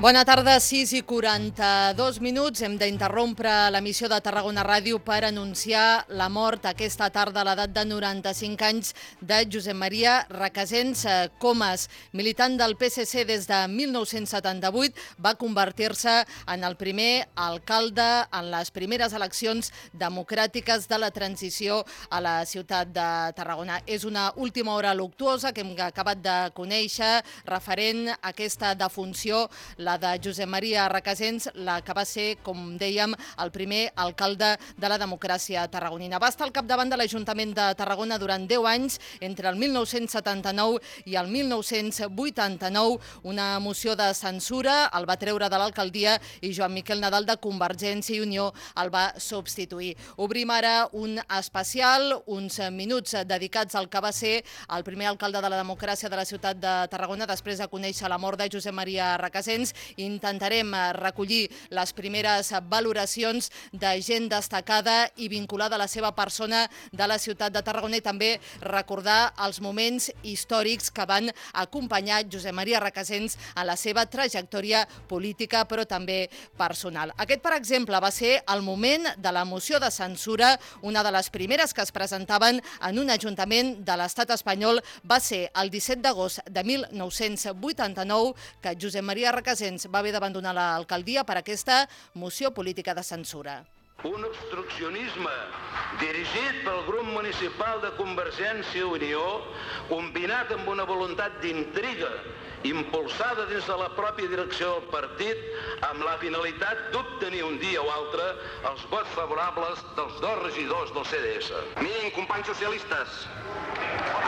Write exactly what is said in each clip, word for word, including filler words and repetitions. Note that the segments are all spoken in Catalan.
Bona tarda, sis i quaranta-dos minuts. Hem d'interrompre l'emissió de Tarragona Ràdio per anunciar la mort aquesta tarda a l'edat de noranta-cinc anys de Josep Maria Recasens Comas. Militant del P S C des de mil nou-cents setanta-vuit, va convertir-se en el primer alcalde en les primeres eleccions democràtiques de la transició a la ciutat de Tarragona. És una última hora luctuosa que hem acabat de conèixer referent a aquesta defunció, la de Josep Maria Recasens, la que va ser, com dèiem, el primer alcalde de la democràcia tarragonina. Va estar al capdavant de l'Ajuntament de Tarragona durant deu anys, entre el mil nou-cents setanta-nou i el mil nou-cents vuitanta-nou. Una moció de censura el va treure de l'alcaldia i Joan Miquel Nadal de Convergència i Unió el va substituir. Obrim ara un especial, uns minuts dedicats al que va ser el primer alcalde de la democràcia de la ciutat de Tarragona després de conèixer la mort de Josep Maria Recasens. Intentarem recollir les primeres valoracions de gent destacada i vinculada a la seva persona de la ciutat de Tarragona i també recordar els moments històrics que van acompanyar Josep Maria Recasens en la seva trajectòria política però també personal. Aquest, per exemple, va ser el moment de la moció de censura, una de les primeres que es presentaven en un ajuntament de l'estat espanyol. Va ser el disset d'agost de mil nou-cents vuitanta-nou que Josep Maria Recasens va haver d'abandonar l'alcaldia per aquesta moció política de censura. Un obstruccionisme dirigit pel grup municipal de Convergència i Unió, combinat amb una voluntat d'intriga impulsada dins de la pròpia direcció del partit amb la finalitat d'obtenir un dia o altre els vots favorables dels dos regidors del C D S. Miren, companys socialistes,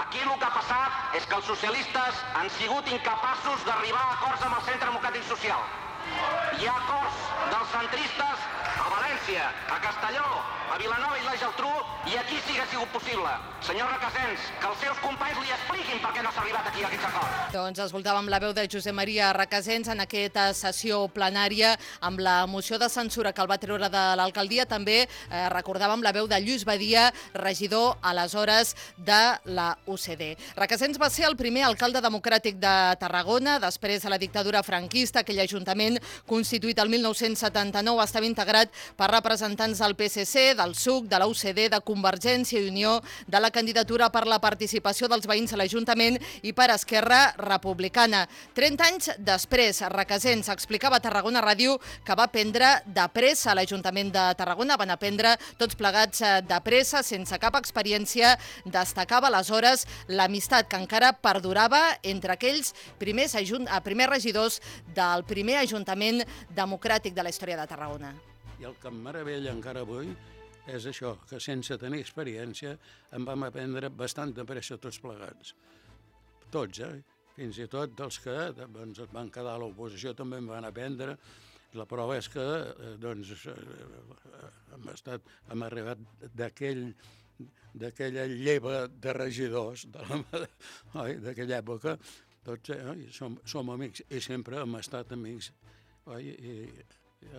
aquí el que ha passat és que els socialistes han sigut incapaços d'arribar a acords amb el Centre Democràtic Social. Hi ha acords dels centristes a València, a Castelló, a Vilanova i la Geltrú, i aquí sí que ha sigut possible. Senyor Recasens, que els seus companys li expliquin per què no s'ha arribat aquí a aquests acords. Doncs escoltàvem la veu de Josep Maria Recasens en aquesta sessió plenària amb la moció de censura que el va treure de l'alcaldia. També eh, recordàvem la veu de Lluís Badia, regidor aleshores de la U C D. Recasens va ser el primer alcalde democràtic de Tarragona després de la dictadura franquista. Aquell ajuntament constituït el mil nou-cents setanta-nou estava integrat per representants del P S C, del S U C, de la U C D, de Convergència i Unió, de la candidatura per la participació dels veïns a l'Ajuntament i per Esquerra Republicana. trenta anys després, Recasens explicava a Tarragona Ràdio que va prendre de pressa a l'Ajuntament de Tarragona. Van aprendre tots plegats de pressa, sense cap experiència. Destacava aleshores l'amistat que encara perdurava entre aquells primers, primers regidors del primer Ajuntament democràtic de la història de Tarragona. I el que em meravella encara avui és això, que sense tenir experiència en vam aprendre bastant de pressa tots plegats. Tots, eh? Fins i tot dels que doncs, van quedar a l'oposició també en van aprendre. La prova és que doncs, hem, estat, hem arribat d'aquell d'aquella lleva de regidors d'aquella època. Tots eh, som, som amics i sempre hem estat amics. Oi? I,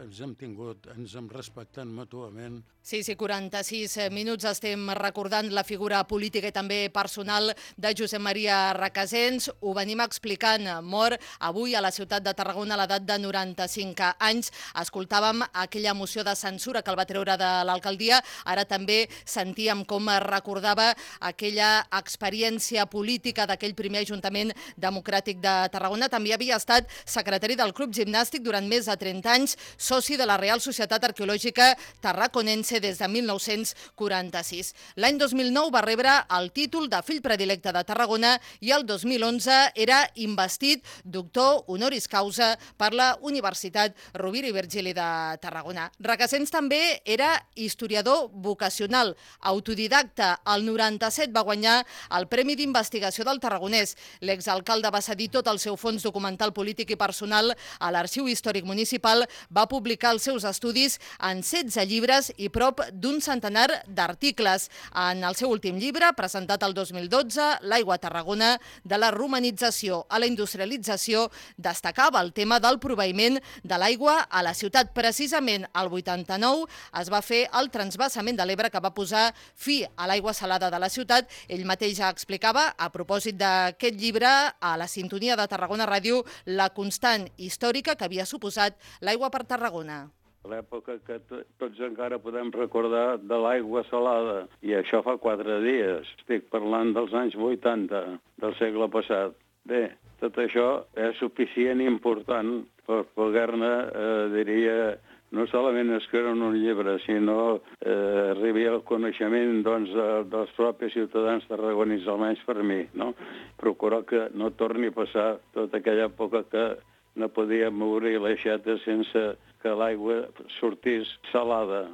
ens hem tingut, ens hem respectat mútuament. sis i quaranta-sis minuts estem recordant la figura política i també personal de Josep Maria Recasens. Ho venim explicant, mort avui a la ciutat de Tarragona a l'edat de noranta-cinc anys. Escoltàvem aquella moció de censura que el va treure de l'alcaldia. Ara també sentíem com recordava aquella experiència política d'aquell primer Ajuntament democràtic de Tarragona. També havia estat secretari del Club Gimnàstic durant més de trenta anys, soci de la Real Societat Arqueològica Tarraconense des de mil nou-cents quaranta-sis. L'any dos mil nou va rebre el títol de fill predilecte de Tarragona i el dos mil onze era investit doctor honoris causa per la Universitat Rovira i Virgili de Tarragona. Recasens també era historiador vocacional, autodidacta. El noranta-set va guanyar el Premi d'Investigació del Tarragonès. L'exalcalde va cedir tot el seu fons documental polític i personal a l'Arxiu Històric Municipal, va va publicar els seus estudis en setze llibres i prop d'un centenar d'articles. En el seu últim llibre, presentat el dos mil dotze, L'aigua a Tarragona, de la romanització a la industrialització, destacava el tema del proveïment de l'aigua a la ciutat. Precisament al vuitanta-nou es va fer el transvasament de l'Ebre que va posar fi a l'aigua salada de la ciutat. Ell mateix ja explicava, a propòsit d'aquest llibre, a la sintonia de Tarragona Ràdio, la constant històrica que havia suposat l'aigua per Tarragona. L'època que tots encara podem recordar de l'aigua salada, i això fa quatre dies. Estic parlant dels anys vuitanta del segle passat. Bé, tot això és suficient i important per poder-ne, eh, diria, no solament escriure en un llibre, sinó eh, arribar al coneixement doncs, de, dels propis ciutadans tarragonins, almenys per mi, no? Procurar que no torni a passar tota aquella època que no podíem obrir l'aixeta sense que l'aigua sortís salada.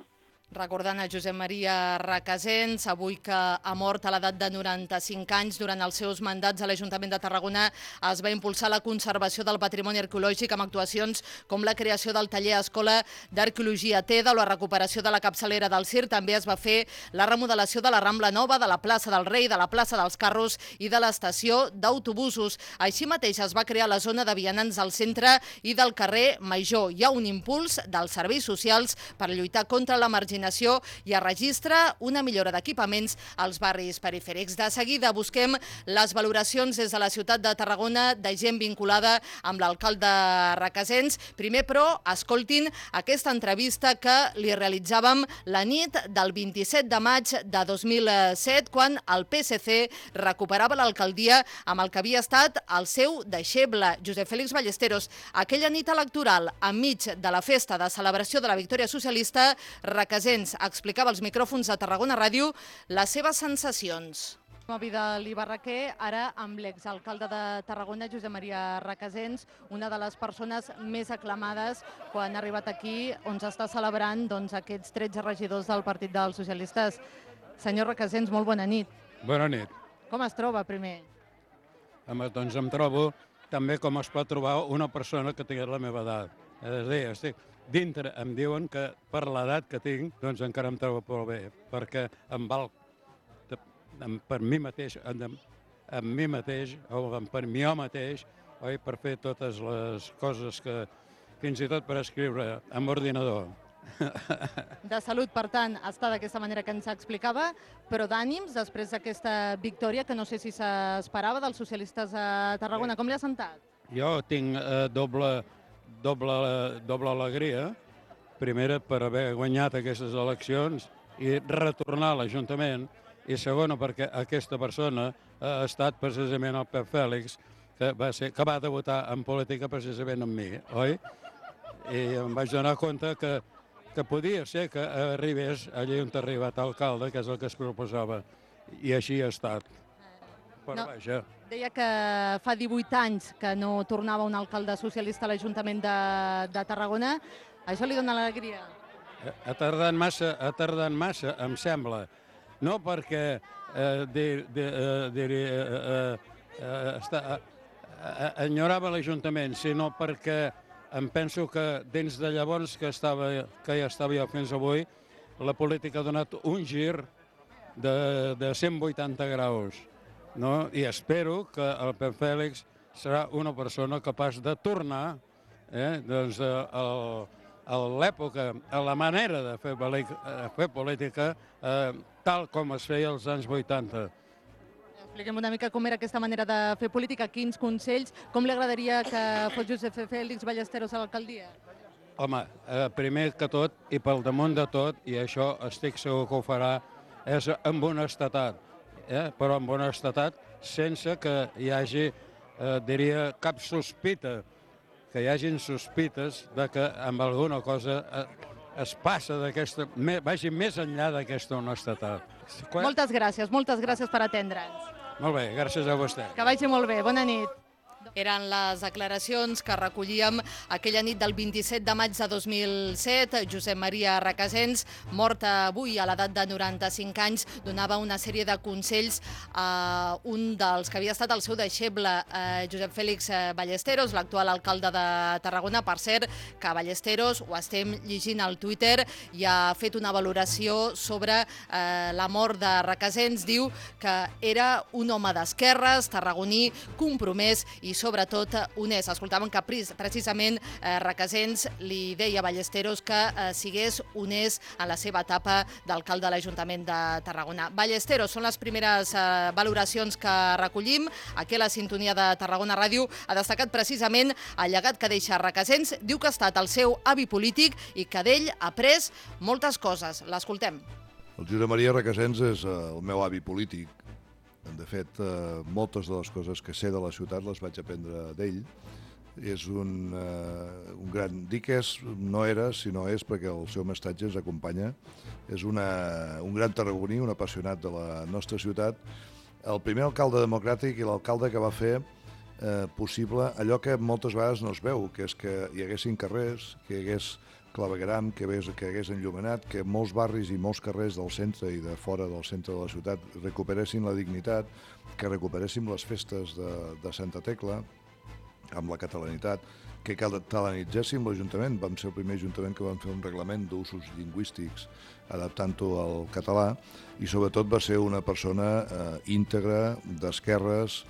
Recordant a Josep Maria Recasens, avui que ha mort a l'edat de noranta-cinc anys, durant els seus mandats a l'Ajuntament de Tarragona es va impulsar la conservació del patrimoni arqueològic amb actuacions com la creació del taller Escola d'Arqueologia TEDA o la recuperació de la capçalera del Cir. També es va fer la remodelació de la Rambla Nova, de la plaça del Rei, de la plaça dels Carros i de l'estació d'autobusos. Així mateix es va crear la zona de vianants al centre i del carrer Major. Hi ha un impuls dels serveis socials per lluitar contra la marginació i es registra una millora d'equipaments als barris perifèrics. De seguida busquem les valoracions des de la ciutat de Tarragona de gent vinculada amb l'alcalde Recasens. Primer, però, escoltin aquesta entrevista que li realitzàvem la nit del vint-i-set de maig de dos mil set, quan el P S C recuperava l'alcaldia amb el que havia estat el seu deixeble, Josep Félix Ballesteros. Aquella nit electoral, enmig de la festa de celebració de la victòria socialista, Recasens explicava als micròfons de Tarragona Ràdio les seves sensacions. Som a Vidal i Barraquer, ara amb l'exalcalde de Tarragona, Josep Maria Recasens, una de les persones més aclamades quan ha arribat aquí, on s'està celebrant doncs, aquests tretze regidors del Partit dels Socialistes. Senyor Recasens, molt bona nit. Bona nit. Com es troba, primer? Home, doncs em trobo també com es pot trobar una persona que tingui la meva edat. És a dir, estic dintre, em diuen que per l'edat que tinc, doncs encara em trobo molt bé, perquè em val per mi mateix, amb mi mateix, o per mi mateix, oi, per fer totes les coses que, fins i tot per escriure amb ordinador. De salut, per tant, està d'aquesta manera que ens explicava, però d'ànims, després d'aquesta victòria, que no sé si s'esperava dels socialistes a Tarragona, com li ha sentat? Jo tinc eh, doble... Doble, doble alegria, primera per haver guanyat aquestes eleccions i retornar a l'Ajuntament, i segona perquè aquesta persona ha estat precisament el Pep Fèlix, que va, ser, que va debutar en política precisament amb mi, oi? I em vaig donar compte que, que podia ser que arribés allà on ha arribat alcalde, que és el que es proposava, i així ha estat. Però no, vaja. Deia que fa divuit anys que no tornava un alcalde socialista a l'Ajuntament de, de Tarragona. Això li dona l'alegria? Ha tardat massa, ha tardat massa, em sembla. No perquè eh, dir, dir, eh, dir, eh, eh, eh, està, eh, enyorava l'Ajuntament, sinó perquè em penso que dins de llavors que, estava, que ja estava jo fins avui, la política ha donat un gir de, de cent vuitanta graus. No? I espero que el Pep Fèlix serà una persona capaç de tornar eh, doncs, a l'època, a la manera de fer, fer política eh, tal com es feia als anys vuitanta. Expliquem una mica com era aquesta manera de fer política, quins consells, com li agradaria que fos Josep Félix Ballesteros a l'alcaldia? Home, eh, primer que tot, i pel damunt de tot, i això estic segur que ho farà, és amb honestedat. Eh, però amb honestedat, sense que hi hagi, eh, diria, cap sospita, que hi hagin sospites de que amb alguna cosa eh, es passa d'aquesta, vagi més enllà d'aquesta honestedat. Moltes gràcies, moltes gràcies per atendre'ns. Molt bé, gràcies a vostè. Que vagi molt bé, bona nit. Eren les declaracions que recollíem aquella nit del vint-i-set de maig de dos mil set. Josep Maria Recasens, mort avui a l'edat de noranta-cinc anys, donava una sèrie de consells a un dels que havia estat el seu deixeble, eh, Josep Fèlix Ballesteros, l'actual alcalde de Tarragona. Per cert, que Ballesteros, ho estem llegint al Twitter, i ha fet una valoració sobre eh, la mort de Recasens. Diu que era un home d'esquerres, tarragoní, compromès i sobretot honest. Escoltàvem que precisament eh, Recasens li deia a Ballesteros que eh, sigués honest en la seva etapa d'alcalde de l'Ajuntament de Tarragona. Ballesteros, són les primeres eh, valoracions que recollim. Aquí a la sintonia de Tarragona Ràdio ha destacat precisament el llegat que deixa Recasens. Diu que ha estat el seu avi polític i que d'ell ha après moltes coses. L'escoltem. El Josep Maria Recasens és eh, el meu avi polític. De fet, eh, moltes de les coses que sé de la ciutat les vaig aprendre d'ell. És un, eh, un gran... Dic és, no era, sinó és perquè el seu mestatge ens acompanya. És una, un gran tarragoní, un apassionat de la nostra ciutat. El primer alcalde democràtic i l'alcalde que va fer eh, possible allò que moltes vegades no es veu, que és que hi haguessin carrers, que hi hagués clavegueram, que hagués enllumenat, que molts barris i molts carrers del centre i de fora del centre de la ciutat recuperessin la dignitat, que recuperéssim les festes de, de Santa Tecla amb la catalanitat, que catalanitzéssim l'Ajuntament. Vam ser el primer Ajuntament que vam fer un reglament d'usos lingüístics adaptant-ho al català i sobretot va ser una persona eh, íntegra, d'esquerres,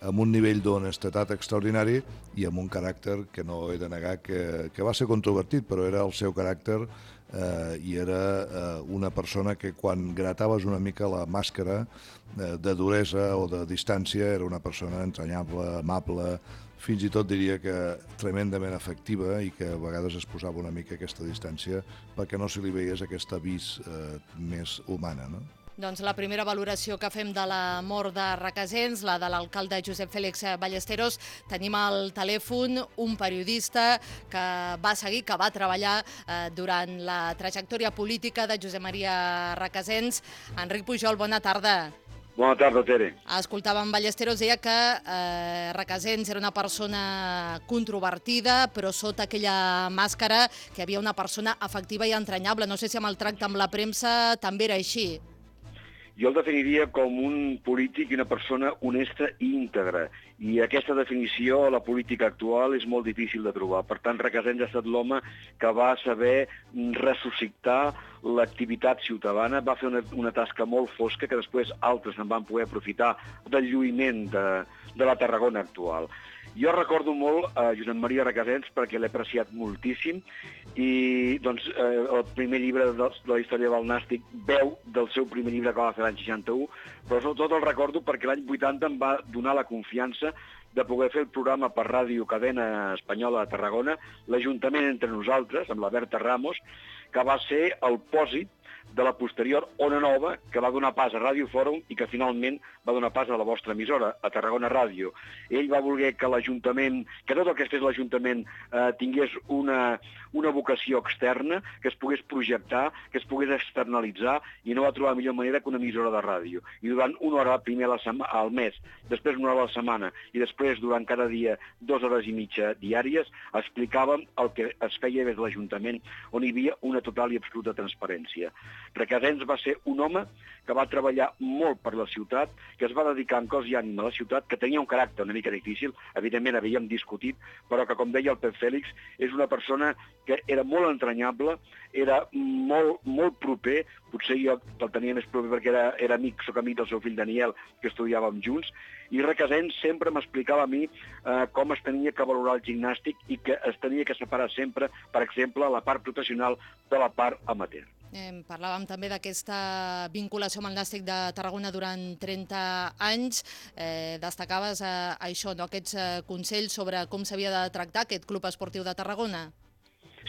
amb un nivell d'honestedat extraordinari i amb un caràcter que no he de negar que, que va ser controvertit, però era el seu caràcter eh, i era eh, una persona que quan grataves una mica la màscara eh, de duresa o de distància era una persona entranyable, amable, fins i tot diria que tremendament afectiva i que a vegades es posava una mica aquesta distància perquè no se li veiés aquesta vis eh, més humana, no? Doncs la primera valoració que fem de la mort de Recasens, la de l'alcalde Josep Fèlix Ballesteros. Tenim al telèfon un periodista que va seguir, que va treballar eh, durant la trajectòria política de Josep Maria Recasens. Enric Pujol, bona tarda. Bona tarda, Tere. Escoltàvem Ballesteros, deia que eh, Recasens era una persona controvertida, però sota aquella màscara que hi havia una persona afectiva i entranyable. No sé si amb el tracte amb la premsa també era així. Jo el definiria com un polític i una persona honesta i íntegra. I aquesta definició a la política actual és molt difícil de trobar. Per tant, Recasens ha estat l'home que va saber ressuscitar l'activitat ciutadana, va fer una, una tasca molt fosca que després altres en van poder aprofitar del lluïment de, de la Tarragona actual. Jo recordo molt a Josep Maria Recasens perquè l'he apreciat moltíssim i doncs, eh, el primer llibre de, de la història del Nàstic veu del seu primer llibre que va fer l'any seixanta-u, però sobretot el recordo perquè l'any vuitanta em va donar la confiança de poder fer el programa per ràdio Cadena Espanyola de Tarragona, l'Ajuntament entre nosaltres, amb la Berta Ramos, que va ser el pòsit de la posterior Ona Nova, que va donar pas a Ràdio Fòrum i que finalment va donar pas a la vostra emissora, a Tarragona Ràdio. Ell va voler que l'Ajuntament, que tot el que es fes l'Ajuntament eh, tingués una, una vocació externa, que es pogués projectar, que es pogués externalitzar, i no va trobar millor manera que una emissora de ràdio. I durant una hora primer a la sema, al mes, després una hora a la setmana, i després durant cada dia dues hores i mitja diàries, explicàvem el que es feia des de l'Ajuntament, on hi havia una total i absoluta transparència. Recasens va ser un home que va treballar molt per la ciutat, que es va dedicar en cos i ànima a la ciutat, que tenia un caràcter una mica difícil, evidentment havíem discutit, però que, com deia el Pep Fèlix, és una persona que era molt entranyable, era molt, molt proper, potser jo el tenia més proper perquè era, era amic, soc amic del seu fill Daniel, que estudiàvem junts, i Recasens sempre m'explicava a mi eh, com es tenia que valorar el gimnàstic i que es tenia que separar sempre, per exemple, la part professional de la part amateur. Eh, parlàvem també d'aquesta vinculació amb el Nàstic de Tarragona durant trenta anys. Eh, destacaves eh, això, no? Aquests eh, consells sobre com s'havia de tractar aquest Club Esportiu de Tarragona.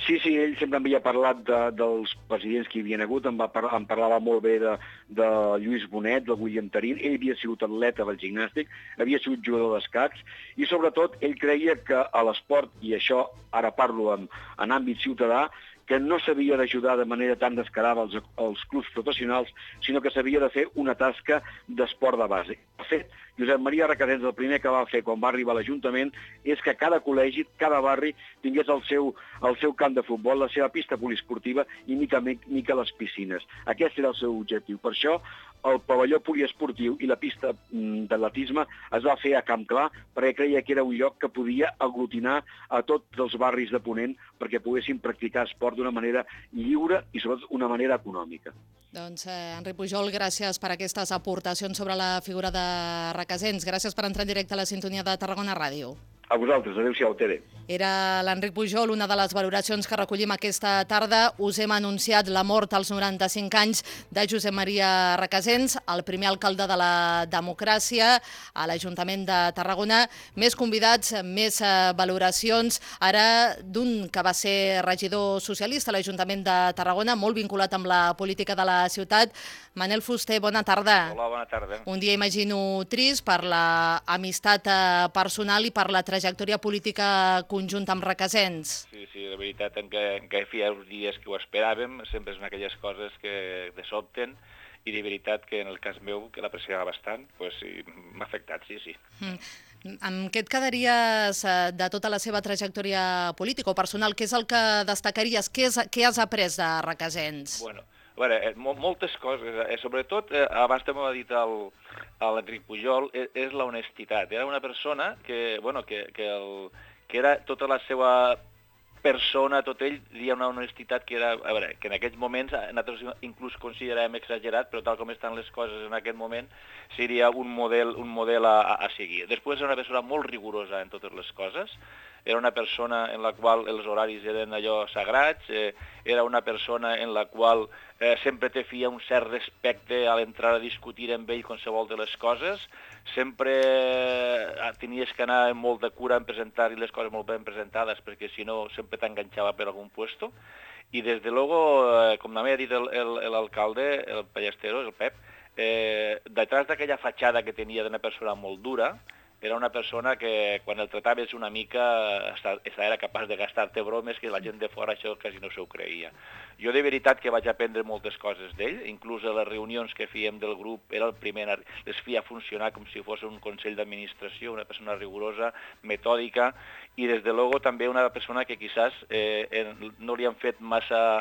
Sí, sí, ell sempre m'havia parlat de, dels presidents que hi havien hagut, em, va par em parlava molt bé de, de Lluís Bonet, de William Tarín, ell havia sigut atleta del gimnàstic, havia sigut jugador d'escacs, i sobretot ell creia que a l'esport, i això ara parlo en, en àmbit ciutadà, que no s'havia d'ajudar de manera tan descarada els, els clubs professionals, sinó que s'havia de fer una tasca d'esport de base. De fet, Josep Maria Recasens el primer que va fer quan va arribar a l'Ajuntament és que cada col·legi, cada barri, tingués el seu, el seu camp de futbol, la seva pista poliesportiva i mica mica les piscines. Aquest era el seu objectiu. Per això, el pavelló poliesportiu i la pista d'atletisme es va fer a Camp Clar perquè creia que era un lloc que podia aglutinar a tots els barris de Ponent perquè poguessin practicar esport d'una manera lliure i sobretot una manera econòmica. Doncs, eh, Enric Pujol, gràcies per aquestes aportacions sobre la figura de Recasens. Gràcies per entrar en directe a la sintonia de Tarragona Ràdio. A vosaltres, adéu-siau, Tere. Era l'Enric Pujol, una de les valoracions que recollim aquesta tarda. Us hem anunciat la mort als noranta-cinc anys de Josep Maria Recasens, el primer alcalde de la democràcia a l'Ajuntament de Tarragona. Més convidats, més valoracions, ara d'un que va ser regidor socialista a l'Ajuntament de Tarragona, molt vinculat amb la política de la ciutat. Manel Fuster, bona tarda. Hola, bona tarda. Un dia, imagino, trist per l'amistat personal i per la trajectòria política conjunta amb Recasens. Sí, sí, de veritat, en què, en què feia uns dies que ho esperàvem, sempre són aquelles coses que de sobten, i de veritat que en el cas meu, que l'apreciava bastant, pues, sí, m'ha afectat, sí, sí. Mm. Amb què et quedaries de tota la seva trajectòria política o personal? Què és el que destacaries? Què, és, què has après de Recasens? Bueno, a veure, moltes coses, eh, sobretot, eh, abans també ho ha dit l'Enric Pujol, és, és la honestitat. Era una persona que, bueno, que, que, el, que era tota la seva persona, tot ell, hi ha una honestitat que era, a veure, que en aquests moments nosaltres inclús considerem exagerat, però tal com estan les coses en aquest moment, seria un model, un model a, a seguir. Després era una persona molt rigorosa en totes les coses, era una persona en la qual els horaris eren allò sagrats, eh, era una persona en la qual eh, sempre te feia un cert respecte a l'entrar a discutir amb ell qualsevol de les coses, sempre eh, tenies que anar amb molta cura en presentar-hi les coses molt ben presentades, perquè si no sempre t'enganxava per algun puesto, i des de luego, eh, com també ha dit l'alcalde, el, el Ballesteros, el Pep, eh, detrás d'aquella fatxada que tenia d'una persona molt dura, era una persona que quan el trataves una mica era capaç de gastar-te bromes que la gent de fora això quasi no s'ho creia. Jo de veritat que vaig aprendre moltes coses d'ell, inclús a les reunions que fèiem del grup, era el primer, les feia funcionar com si fos un consell d'administració, una persona rigorosa, metòdica, i des de luego també una persona que quizás eh, no li han fet massa...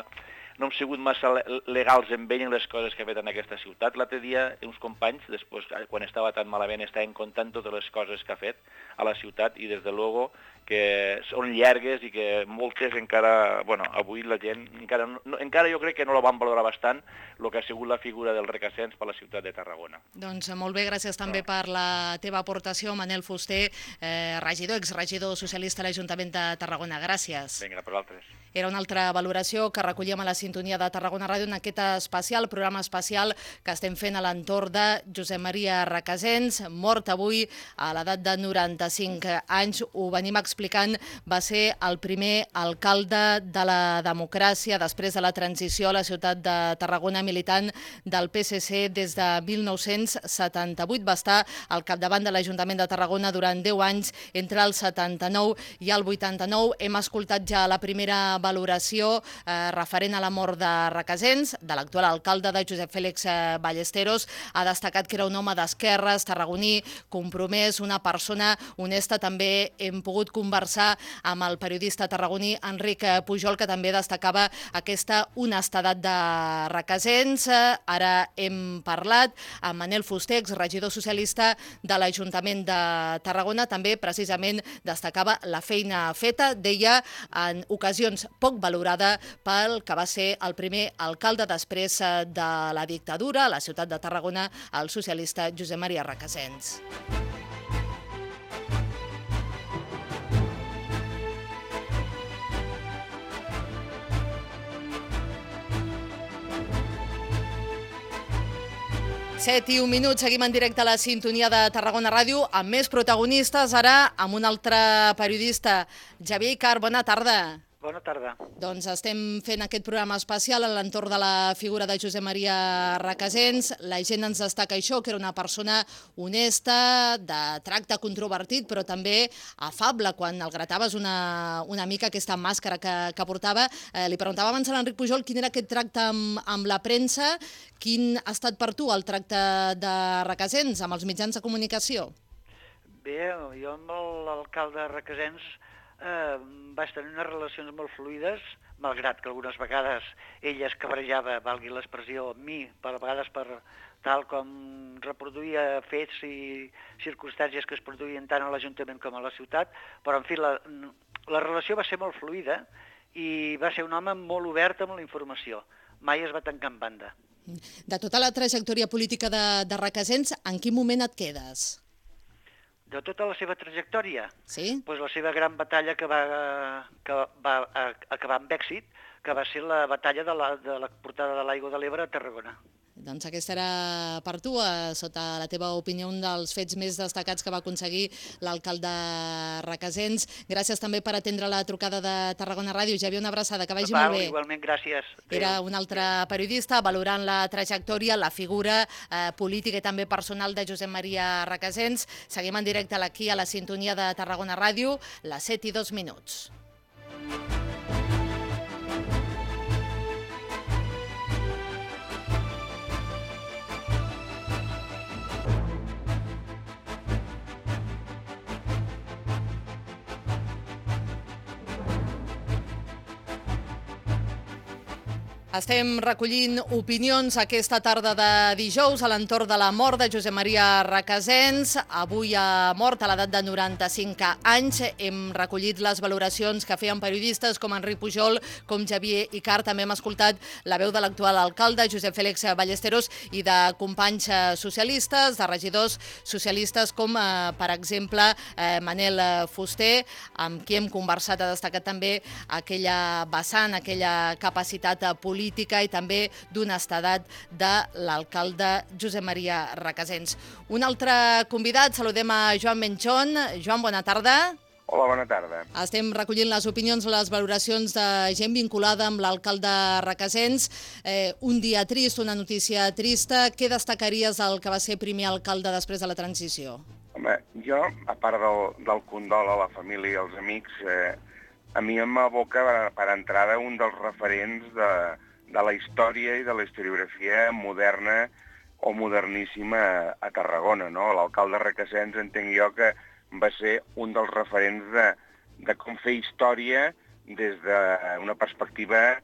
no hem sigut massa legals amb ell en les coses que ha fet en aquesta ciutat. L'altre dia, uns companys, després, quan estava tan malament, estaven contant totes les coses que ha fet a la ciutat i, des de luego, que són llargues i que moltes encara, bueno, avui la gent, encara, no, encara jo crec que no la van valorar bastant el que ha sigut la figura del Recasens per la ciutat de Tarragona. Doncs molt bé, gràcies també no. per la teva aportació, Manel Fuster, eh, regidor, exregidor socialista a l'Ajuntament de Tarragona. Gràcies. Vinga, per altres. Era una altra valoració que recollíem a la sintonia de Tarragona Ràdio en aquest especial, programa especial que estem fent a l'entorn de Josep Maria Recasens, mort avui a l'edat de noranta-cinc anys. Ho venim explicant, va ser el primer alcalde de la democràcia després de la transició a la ciutat de Tarragona, militant del P S C des de mil nou-cents setanta-vuit. Va estar al capdavant de l'Ajuntament de Tarragona durant deu anys, entre el setanta-nou i el vuitanta-nou. Hem escoltat ja la primera valoració eh, referent a la mort de Recasens, de l'actual alcalde de Josep Fèlix Ballesteros. Ha destacat que era un home d'esquerres, tarragoní, compromès, una persona honesta. També hem pogut conversar amb el periodista tarragoní Enric Pujol, que també destacava aquesta honestedat de Recasens. Ara hem parlat amb Manel Fuster, exregidor socialista de l'Ajuntament de Tarragona. També precisament destacava la feina feta, deia, en ocasions poc valorada pel que va ser el primer alcalde després de la dictadura a la ciutat de Tarragona, el socialista Josep Maria Recasens. set i un minuts, seguim en directe a la sintonia de Tarragona Ràdio amb més protagonistes, ara amb un altre periodista, Xavier Icart. Bona tarda. Bona tarda. Doncs estem fent aquest programa especial a l'entorn de la figura de Josep Maria Recasens. La gent ens destaca això, que era una persona honesta, de tracte controvertit, però també afable. Quan el grataves una, una mica aquesta màscara que, que portava, eh, li preguntava abans a l'Enric Pujol quin era aquest tracte amb, amb la premsa. Quin ha estat per tu el tracte de Recasens amb els mitjans de comunicació? Bé, jo amb l'alcalde Recasens Eh, vaig tenir unes relacions molt fluides, malgrat que algunes vegades ell es cabrejava, valgui l'expressió, amb mi, per vegades per tal com reproduïa fets i circumstàncies que es produïen tant a l'Ajuntament com a la ciutat, però en fi, la, la relació va ser molt fluida i va ser un home molt obert amb la informació, mai es va tancar en banda. De tota la trajectòria política de, de Recasens, en quin moment et quedes? De tota la seva trajectòria? Sí. Pues la seva gran batalla que va, que va acabar amb èxit, que va ser la batalla de la, de la portada de l'Aigua de l'Ebre a Tarragona. Doncs aquesta era per tu, eh, sota la teva opinió, un dels fets més destacats que va aconseguir l'alcalde Recasens. Gràcies també per atendre la trucada de Tarragona Ràdio. Xavier, una abraçada, que vagi Val, molt bé. Igualment, gràcies. Era un altre periodista valorant la trajectòria, la figura eh, política i també personal de Josep Maria Recasens. Seguim en directe aquí a la sintonia de Tarragona Ràdio, les set i dos minuts. Estem recollint opinions aquesta tarda de dijous a l'entorn de la mort de Josep Maria Recasens. Avui ha mort a l'edat de noranta-cinc anys. Hem recollit les valoracions que feien periodistes com Enric Pujol, com Xavier Icart. També hem escoltat la veu de l'actual alcalde, Josep Fèlix Ballesteros, i de companys socialistes, de regidors socialistes com, eh, per exemple, eh, Manel Fuster, amb qui hem conversat. Ha destacat també aquella vessant, aquella capacitat política i també d'honestedat de l'alcalde Josep Maria Recasens. Un altre convidat, saludem a Joan Menchón. Joan, bona tarda. Hola, bona tarda. Estem recollint les opinions, les valoracions de gent vinculada amb l'alcalde Recasens. Eh, un dia trist, una notícia trista. Què destacaries del que va ser primer alcalde després de la transició? Home, jo, a part del, del condol a la família i als amics, eh, a mi em aboca per entrada un dels referents de, de la història i de la historiografia moderna o moderníssima a, a Tarragona, no? L'alcalde Recasens, entenc jo que va ser un dels referents de, de com fer història des d'una perspectiva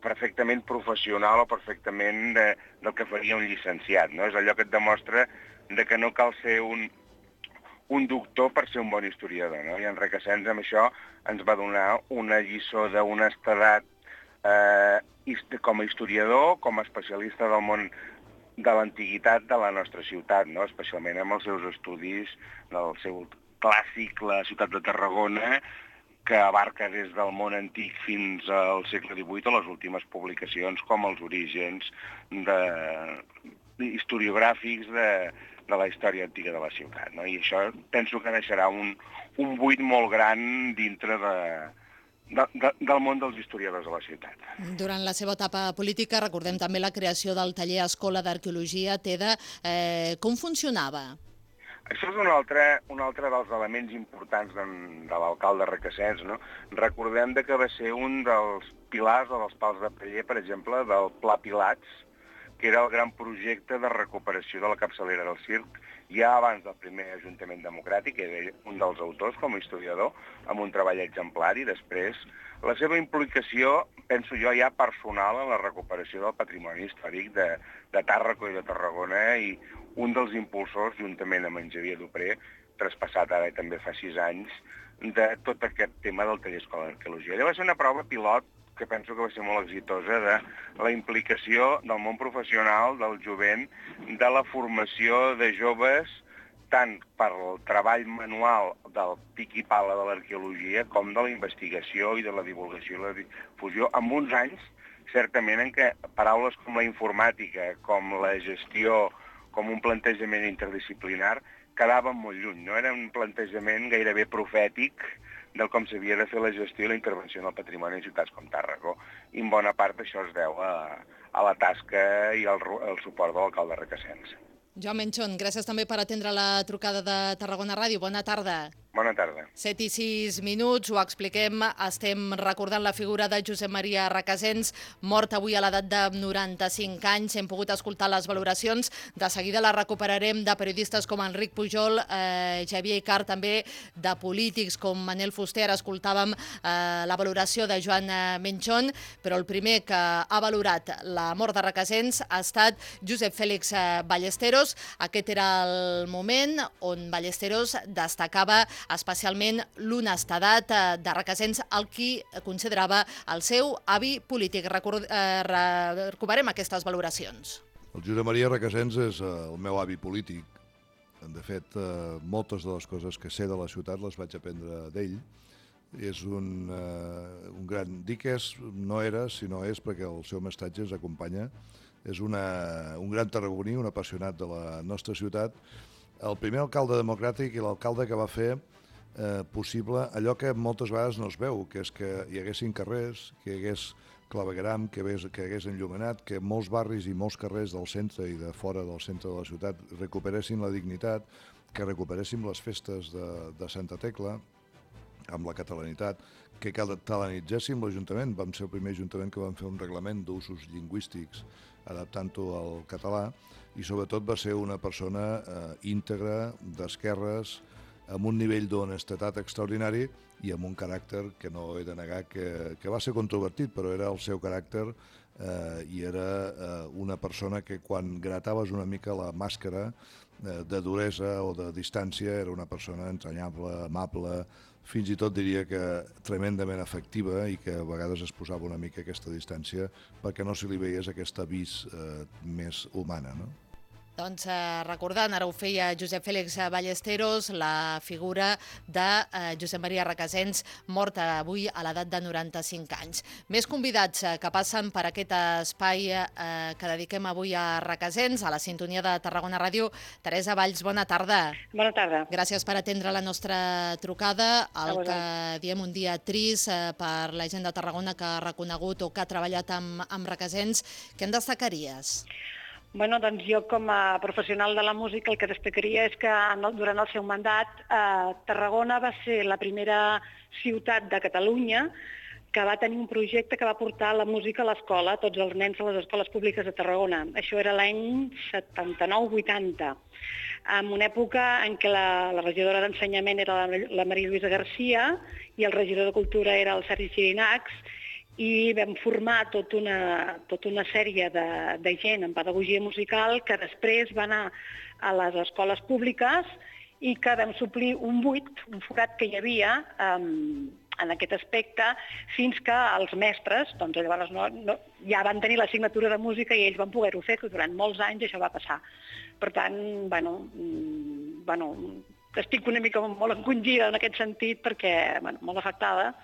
perfectament professional o perfectament de, del que faria un llicenciat, no? És allò que et demostra de que no cal ser un, un doctor per ser un bon historiador, no? I en Recasens amb això ens va donar una lliçó d'honestedat eh, com a historiador, com a especialista del món de l'antiguitat de la nostra ciutat, no? Especialment amb els seus estudis del seu clàssic, la ciutat de Tarragona, que abarca des del món antic fins al segle divuit a les últimes publicacions com els orígens de, historiogràfics de, de la història antiga de la ciutat, no? I això penso que deixarà un, un buit molt gran dintre de, de, de, del món dels historiadors de la ciutat. Durant la seva etapa política recordem també la creació del taller Escola d'Arqueologia TEDA. Eh, com funcionava? Això és un altre, un altre dels elements importants de, de l'alcalde Recasens, no? Recordem de que va ser un dels pilars o dels pals de paller, per exemple, del Pla Pilats, que era el gran projecte de recuperació de la capçalera del circ, ja abans del primer Ajuntament Democràtic, que era un dels autors com a historiador, amb un treball exemplar, i després la seva implicació, penso jo, ja personal en la recuperació del patrimoni històric de, de Tàrraco i de Tarragona, i un dels impulsors, juntament amb en Xavier Dupré, traspassat ara també fa sis anys, de tot aquest tema del taller Escola d'Arqueologia. Allò va ser una prova pilot que penso que va ser molt exitosa, de la implicació del món professional, del jovent, de la formació de joves, tant per el treball manual del pic i pala de l'arqueologia com de la investigació i de la divulgació i la difusió, amb uns anys, certament, en què paraules com la informàtica, com la gestió, com un plantejament interdisciplinar, quedaven molt lluny, no? Era un plantejament gairebé profètic del com s'havia de fer la gestió i la intervenció en el patrimoni en ciutats com Tàrrega. I en bona part això es deu a, a la tasca i al, al suport de l'alcalde Requesens. Joan Menchón, gràcies també per atendre la trucada de Tarragona Ràdio. Bona tarda. Bona tarda. set i sis minuts, ho expliquem. Estem recordant la figura de Josep Maria Requesens, mort avui a l'edat de noranta-cinc anys. Hem pogut escoltar les valoracions. De seguida la recuperarem de periodistes com Enric Pujol, eh, Xavier Icart, també de polítics com Manel Fuster. Ara escoltàvem eh, la valoració de Joan Menchón, però el primer que ha valorat la mort de Requesens ha estat Josep Fèlix Ballesteros. Aquest era el moment on Ballesteros destacava especialment l'honestedat de Requesens, el qui considerava el seu avi polític. Record, eh, recuperem aquestes valoracions. El Josep Maria Requesens és el meu avi polític. De fet, moltes de les coses que sé de la ciutat les vaig aprendre d'ell. És un, un gran... Dic és, no era, sinó és perquè el seu mestatge ens acompanya. És una, un gran tarragoní, un apassionat de la nostra ciutat. El primer alcalde democràtic i l'alcalde que va fer eh, possible allò que moltes vegades no es veu, que és que hi haguessin carrers, que hi hagués clavegueram, que hi hagués enllumenat, que molts barris i molts carrers del centre i de fora del centre de la ciutat recuperessin la dignitat, que recuperéssim les festes de, de Santa Tecla amb la catalanitat, que catalanitzéssim l'Ajuntament. Vam ser el primer Ajuntament que vam fer un reglament d'usos lingüístics adaptant-ho al català, i sobretot va ser una persona eh, íntegra, d'esquerres, amb un nivell d'honestedat extraordinari i amb un caràcter que no he de negar que, que va ser controvertit, però era el seu caràcter eh, i era eh, una persona que quan grataves una mica la màscara eh, de duresa o de distància era una persona entranyable, amable, fins i tot diria que tremendament afectiva, i que a vegades es posava una mica aquesta distància perquè no se li veiés aquesta vis eh, més humana, no? Doncs eh, recordant, ara ho feia Josep Fèlix Ballesteros, la figura de eh, Josep Maria Requesens, mort avui a l'edat de noranta-cinc anys. Més convidats eh, que passen per aquest espai eh, que dediquem avui a Requesens, a la sintonia de Tarragona Ràdio. Teresa Valls, bona tarda. Bona tarda. Gràcies per atendre la nostra trucada. El que diem un dia trist eh, per la gent de Tarragona que ha reconegut o que ha treballat amb, amb Requesens. Què en destacaries? Bueno, doncs jo com a professional de la música el que destacaria és que durant el seu mandat eh, Tarragona va ser la primera ciutat de Catalunya que va tenir un projecte que va portar la música a l'escola, tots els nens a les escoles públiques de Tarragona. Això era l'any setanta-nou vuitanta, en una època en què la, la regidora d'Ensenyament era la, la Maria Lluïsa Garcia i el regidor de Cultura era el Sergi Xirinacs, i vam formar tota una, tota una sèrie de, de gent en pedagogia musical que després va anar a les escoles públiques i que vam suplir un buit, un forat que hi havia um, en aquest aspecte, fins que els mestres doncs, llavors no, no, ja van tenir l'assignatura de música i ells van poder-ho fer, que durant molts anys això va passar. Per tant, bueno, bueno, estic una mica molt encongida en aquest sentit perquè, bueno, molt afectada,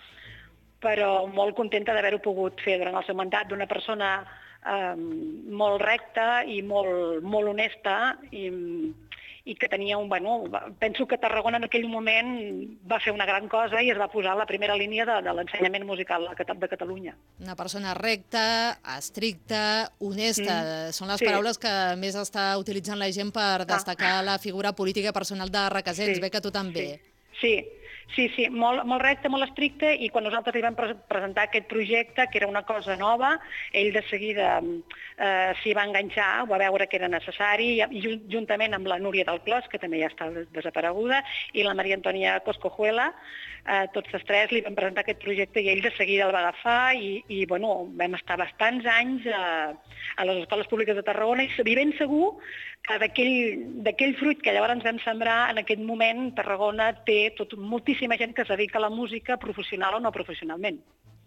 però molt contenta d'haver-ho pogut fer durant el seu mandat, d'una persona eh, molt recta i molt, molt honesta i, i que tenia un... Bueno, penso que Tarragona en aquell moment va fer una gran cosa i es va posar a la primera línia de, de l'ensenyament musical de Catalunya. Una persona recta, estricta, honesta. Mm. Són les sí. paraules que més està utilitzant la gent per destacar ah. la figura política personal de Requesens. Sí. Bé que tu també. Sí, sí. Sí, sí, molt, molt recte, molt estricte, i quan nosaltres li vam pre presentar aquest projecte, que era una cosa nova, ell de seguida eh, s'hi va enganxar, ho va veure que era necessari, i juntament amb la Núria del Clos, que també ja està desapareguda, i la Maria Antònia Coscojuela, eh, tots els tres li vam presentar aquest projecte i ell de seguida el va agafar i, i bueno, vam estar bastants anys a, a les escoles públiques de Tarragona i ben segur que d'aquell fruit que llavors ens vam sembrar, en aquest moment Tarragona té tot, moltíssima gent que es dedica a la música professional o no professionalment.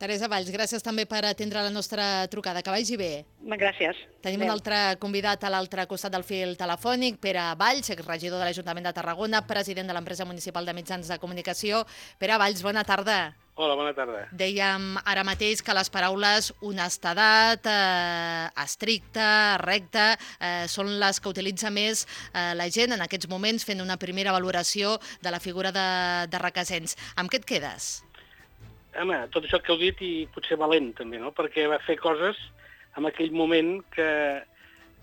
Teresa Valls, gràcies també per atendre la nostra trucada. Que vagi bé. Gràcies. Tenim Adeu. un altre convidat a l'altre costat del fil telefònic, Pere Valls, exregidor de l'Ajuntament de Tarragona, president de l'empresa municipal de mitjans de comunicació. Pere Valls, bona tarda. Hola, bona tarda. Dèiem ara mateix que les paraules honestedat, eh, estricte, recte, eh, són les que utilitza més eh, la gent en aquests moments fent una primera valoració de la figura de, de Requesens. Amb què et quedes? Home, tot això que heu dit i potser valent també, no? Perquè va fer coses en aquell moment que,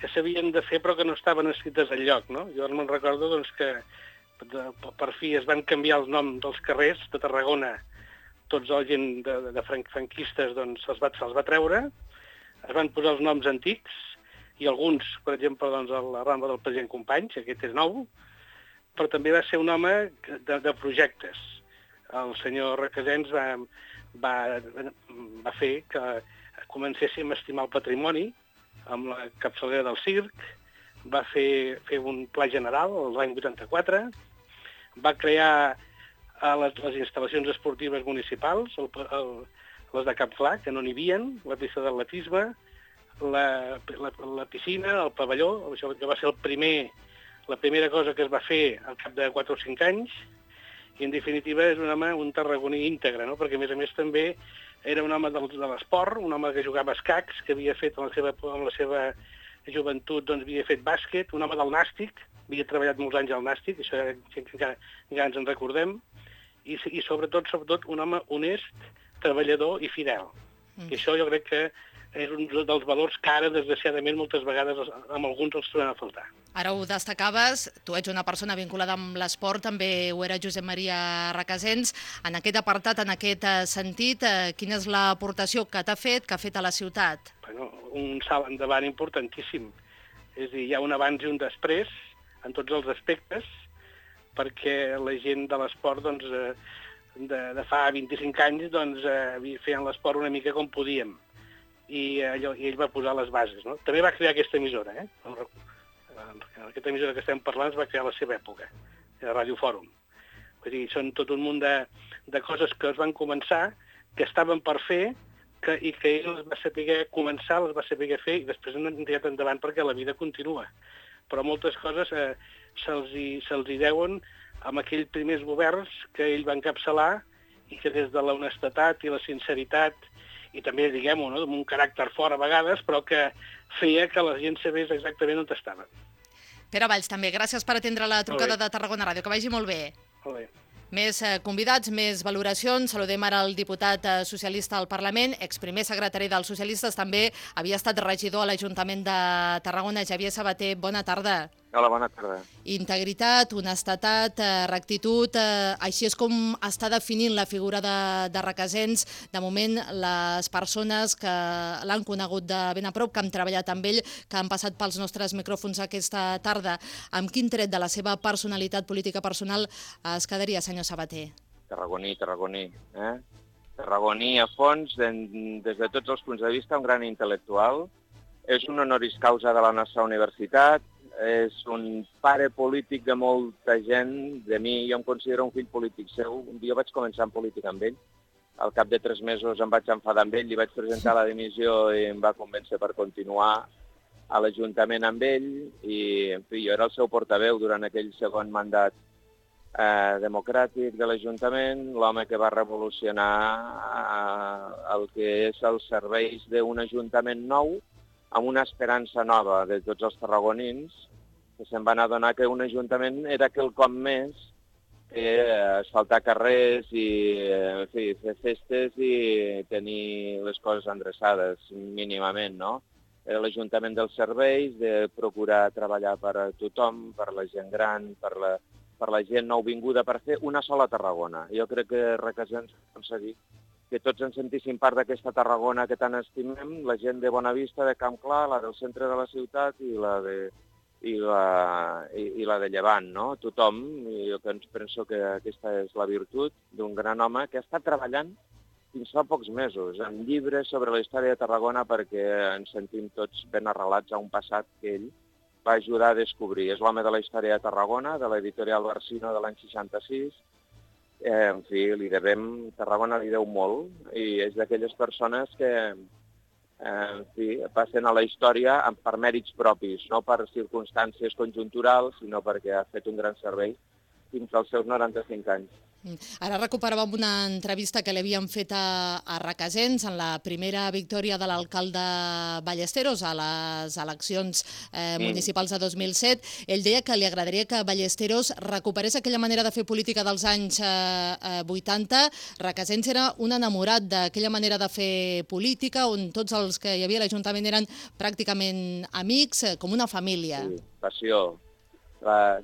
que s'havien de fer però que no estaven escrites enlloc, no? Jo me'n recordo doncs, que de, per fi es van canviar els noms dels carrers de Tarragona. Tots la gent de, de franquistes doncs, se'ls va, se va treure, es van posar els noms antics, i alguns, per exemple, doncs, a la Rambla del president Companys, aquest és nou, però també va ser un home de, de projectes. El senyor Requesens va, va, va fer que comencéssim a estimar el patrimoni amb la capçalera del circ, va fer, fer un pla general l'any vuitanta-quatre, va crear a les, les instal·lacions esportives municipals, el, el, les de Cap Clar, que no n'hi havia, la pista d'atletisme, la, la, la piscina, el pavelló, això que va ser el primer, la primera cosa que es va fer al cap de quatre o cinc anys, i en definitiva és un home, un tarragoní íntegre, no? Perquè a més a més també era un home de, de l'esport, un home que jugava a escacs, que havia fet en la seva, en la seva joventut, doncs havia fet bàsquet, un home del nàstic, havia treballat molts anys al nàstic, això encara, encara ens en recordem, i, i sobretot, sobretot un home honest, treballador i fidel. Mm. I això jo crec que és un dels valors que ara, desgraciadament, moltes vegades amb alguns els trobem a faltar. Ara ho destacaves, tu ets una persona vinculada amb l'esport, també ho era Josep Maria Requesens. En aquest apartat, en aquest sentit, quina és l'aportació que t'ha fet, que ha fet a la ciutat? Bueno, un salt endavant importantíssim. És a dir, hi ha un abans i un després, en tots els aspectes, perquè la gent de l'esport, doncs, de, de fa vint-i-cinc anys, doncs, feien l'esport una mica com podíem. I, allò, i ell va posar les bases, no? També va crear aquesta emissora, eh? Aquesta emissora que estem parlant es va crear a la seva època, a Ràdio Fòrum. Vull dir, són tot un munt de, de coses que es van començar, que estaven per fer, que, i que ell les va saber començar, les va saber fer, i després han tirat endavant perquè la vida continua. Però moltes coses eh, se'ls hi, se'ls hi deuen amb aquells primers governs que ell va encapçalar i que des de la honestedat i la sinceritat i també, diguem-ho, no, amb un caràcter fort a vegades, però que feia que la gent sabés exactament on estava. Pere Valls, també, gràcies per atendre la trucada de Tarragona Ràdio. Que vagi molt bé. Molt bé. Més eh, convidats, més valoracions. Saludem ara el diputat eh, socialista al Parlament, exprimer secretari dels socialistes, també havia estat regidor a l'Ajuntament de Tarragona. Xavier Sabater, bona tarda. Hola, bona tarda. Integritat, honestedat, eh, rectitud, eh, així és com està definint la figura de, de Requesens. De moment, les persones que l'han conegut de ben a prop, que han treballat amb ell, que han passat pels nostres micròfons aquesta tarda, amb quin tret de la seva personalitat política personal es quedaria, senyor Sabater? Tarragoní, tarragoní. Eh? Tarragoní a fons, des de tots els punts de vista, un gran intel·lectual. És un honoris causa de la nostra universitat, és un pare polític de molta gent, de mi, jo em considero un fill polític seu. Jo vaig començar en política amb ell, al cap de tres mesos em vaig enfadar amb ell, li vaig presentar la dimissió i em va convèncer per continuar a l'Ajuntament amb ell, i en fi, jo era el seu portaveu durant aquell segon mandat eh, democràtic de l'Ajuntament, l'home que va revolucionar eh, el que és els serveis d'un Ajuntament nou, amb una esperança nova de tots els tarragonins, que se'n van adonar que un ajuntament era quelcom més que asfaltar carrers i en fi, fer festes i tenir les coses endreçades mínimament, no? Era l'Ajuntament dels serveis, de procurar treballar per a tothom, per la gent gran, per la, per la gent nouvinguda, per fer una sola Tarragona. Jo crec que Requesens va aconseguir que tots ens sentíssim part d'aquesta Tarragona que tant estimem, la gent de Bonavista, de Camp Clar, la del centre de la ciutat i la de, i la, i, i la de Llevant, no? Tothom, i jo penso que aquesta és la virtut d'un gran home que ha estat treballant fins fa pocs mesos, en llibres sobre la història de Tarragona, perquè ens sentim tots ben arrelats a un passat que ell va ajudar a descobrir. És l'home de la història de Tarragona, de l'editorial Barsino de l'any seixanta-sis. Eh, en fi, li devem, Tarragona li deu molt, i és d'aquelles persones que eh, en fi, passen a la història per mèrits propis, no per circumstàncies conjunturals, sinó perquè ha fet un gran servei fins als seus noranta-cinc anys. Ara recuperàvem una entrevista que li havíem fet a, a Requesens en la primera victòria de l'alcalde Ballesteros a les eleccions eh, Mm. municipals de dos mil set. Ell deia que li agradaria que Ballesteros recuperés aquella manera de fer política dels anys eh, eh, vuitanta. Requesens era un enamorat d'aquella manera de fer política on tots els que hi havia a l'Ajuntament eren pràcticament amics, eh, com una família. Sí, passió. Uh,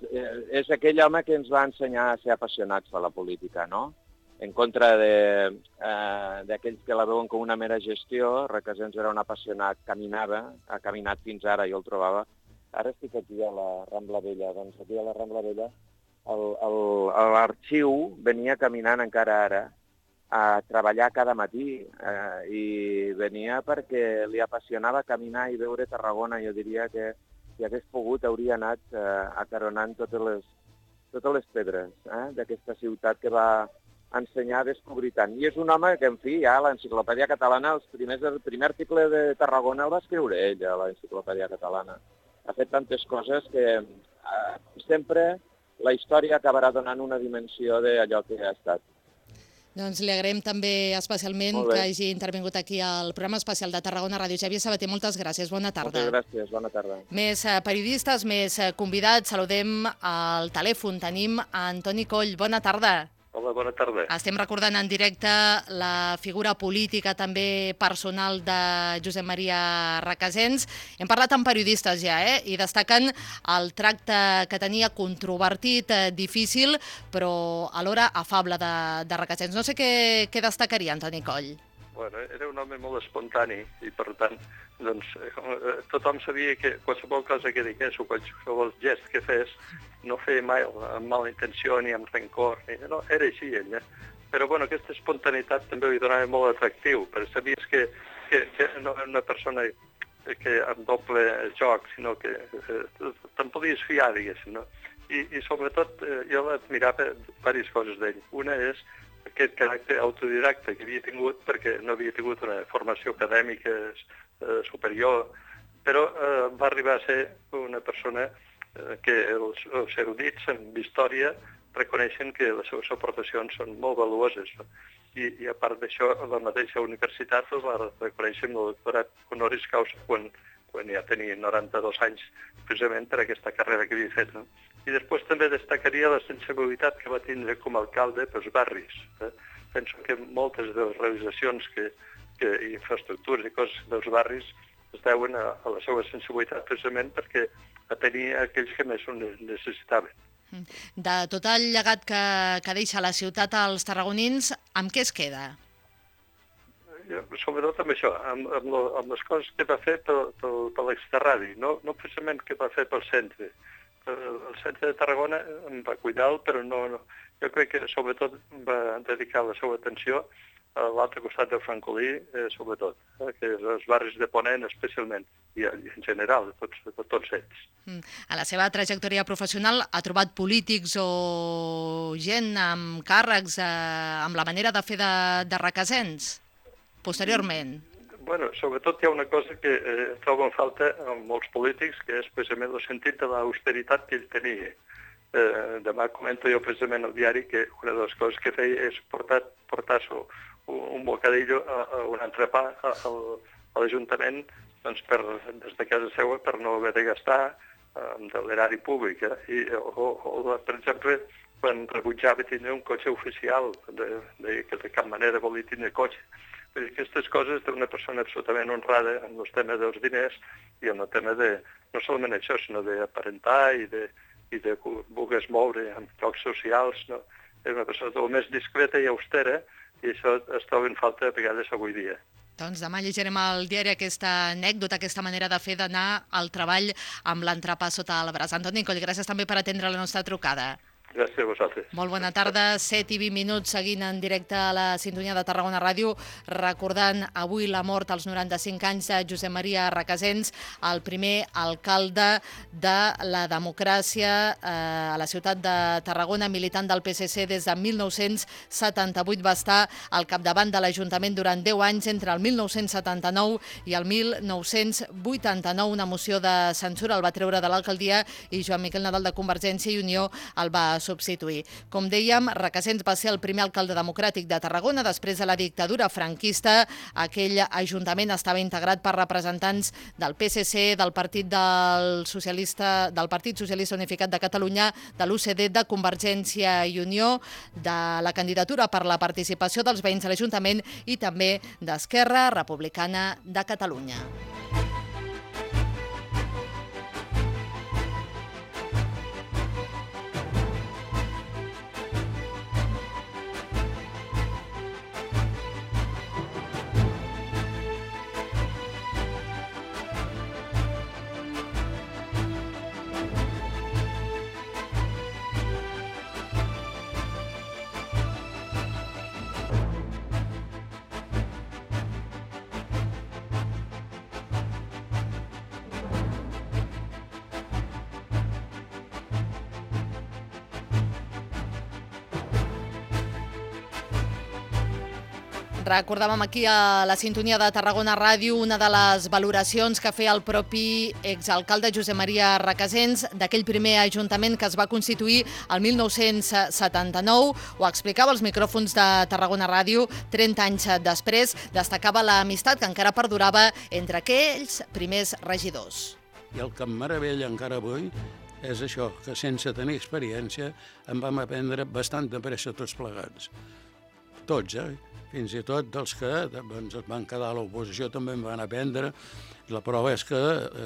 és aquell home que ens va ensenyar a ser apassionats per la política, no? En contra d'aquells uh, que la veuen com una mera gestió. Requesens era un apassionat, caminava, ha caminat fins ara, jo el trobava. Ara estic aquí a la Rambla Vella, doncs aquí a la Rambla Vella l'arxiu venia caminant encara ara a treballar cada matí uh, i venia perquè li apassionava caminar i veure Tarragona. Jo diria que si hagués pogut, hauria anat eh, acaronant totes les, totes les pedres eh, d'aquesta ciutat que va ensenyar a descobrir tant. I és un home que, en fi, ja a l'Enciclopèdia Catalana, els primers, el primer article de Tarragona el va escriure ell, a l'Enciclopèdia Catalana. Ha fet tantes coses que eh, sempre la història acabarà donant una dimensió d'allò que ha estat. Doncs li agraïm també especialment que hagi intervingut aquí al programa especial de Tarragona Ràdio. Xavier Sabater, moltes gràcies, bona tarda. Moltes gràcies, bona tarda. Més eh, periodistes, més eh, convidats, saludem al telèfon. Tenim a Antoni Coll, bona tarda. Hola, bona tarda. Estem recordant en directe la figura política, també personal de Josep Maria Requesens. Hem parlat amb periodistes ja, eh? I destaquen el tracte que tenia controvertit, eh, difícil, però alhora afable de, de Requesens. No sé què, què destacaria, Antoni Coll. Bueno, era un home molt espontani i, per tant, doncs, eh, tothom sabia que qualsevol cosa que digués o qualsevol gest que fes no feia mai amb mala intenció ni amb rencor. Ni, no, era així ell. Eh? Però bueno, aquesta espontaneïtat també li donava molt atractiu, perquè sabies que, que, que no era una persona que amb doble joc, sinó que eh, te'n podies fiar, diguéssim. No? I, i sobretot eh, jo admirava diverses coses d'ell. Una és aquest caràcter autodidacte que havia tingut perquè no havia tingut una formació acadèmica eh, superior, però eh, va arribar a ser una persona eh, que els, els erudits en història reconeixen que les seves aportacions són molt valuoses. No? I, I a part d'això, la mateixa universitat el va reconèixer amb el doctorat honoris causa quan, quan ja tenia noranta-dos anys, precisament per aquesta carrera que havia fet. No? I després també destacaria la sensibilitat que va tindre com a alcalde pels barris. Eh? Penso que moltes de les realitzacions que, que, i infraestructures i coses dels barris es deuen a, a la seva sensibilitat precisament perquè atenia aquells que més ho necessitaven. De tot el llegat que, que deixa la ciutat als tarragonins, amb què es queda? Jo, sobretot amb això, amb, amb, lo, amb les coses que va fer per, per, per l'exterradi, no, no precisament que va fer pel centre. El centre de Tarragona em va cuidar, però no, no. Jo crec que sobretot va dedicar la seva atenció a l'altre costat del Francolí, eh, sobretot, eh, que és els barris de Ponent especialment, i, i en general, de tots, de tots ells. A la seva trajectòria professional ha trobat polítics o gent amb càrrecs, eh, amb la manera de fer de, de Requesens, posteriorment? Bueno, sobretot hi ha una cosa que eh, trobo en falta en molts polítics, que és precisament el sentit de l'austeritat que ell tenia. Eh, demà comento jo precisament al diari que una de les coses que feia és portar, portar un, un bocadillo, a, a un entrepà a, a, a l'Ajuntament doncs per, des de casa seva per no haver de gastar eh, de l'erari públic. Eh? I, o, o, per exemple, quan rebutjava tindre un cotxe oficial, de, de, que de cap manera volia tindre cotxe. Perquè aquestes coses d'una persona absolutament honrada en el tema dels diners i en el tema de, no solament això, sinó d'aparentar i de, i de voler moure en llocs socials. No? És una persona molt més discreta i austera i això es troba en falta a vegades avui dia. Doncs demà llegirem al diari aquesta anècdota, aquesta manera de fer d'anar al treball amb l'entrepà sota el braç. Antoni Coll, gràcies també per atendre la nostra trucada. Gràcies a vosaltres. Molt bona tarda, set i vint minuts seguint en directe a la sintonia de Tarragona Ràdio, recordant avui la mort als noranta-cinc anys de Josep Maria Requesens, el primer alcalde de la democràcia eh, a la ciutat de Tarragona, militant del P S C des de mil nou-cents setanta-vuit, va estar al capdavant de l'Ajuntament durant deu anys, entre el mil nou-cents setanta-nou i el mil nou-cents vuitanta-nou. Una moció de censura el va treure de l'alcaldia i Joan Miquel Nadal de Convergència i Unió el va substituir. Com dèiem, Requesens va ser el primer alcalde democràtic de Tarragona després de la dictadura franquista. Aquell ajuntament estava integrat per representants del P S C, del Partit del Socialista, del Partit Socialista Unificat de Catalunya, de l'U C D, de Convergència i Unió, de la candidatura per la participació dels veïns a l'Ajuntament i també d'Esquerra Republicana de Catalunya. Recordàvem aquí a la sintonia de Tarragona Ràdio una de les valoracions que feia el propi exalcalde Josep Maria Requesens d'aquell primer ajuntament que es va constituir el mil nou-cents setanta-nou. Ho explicava als micròfons de Tarragona Ràdio trenta anys després. Destacava l'amistat que encara perdurava entre aquells primers regidors. I el que em meravella encara avui és això, que sense tenir experiència en vam aprendre bastant de pressa tots plegats. Tots, eh? Fins i tot dels que doncs, es van quedar a l'oposició també en van aprendre. La prova és que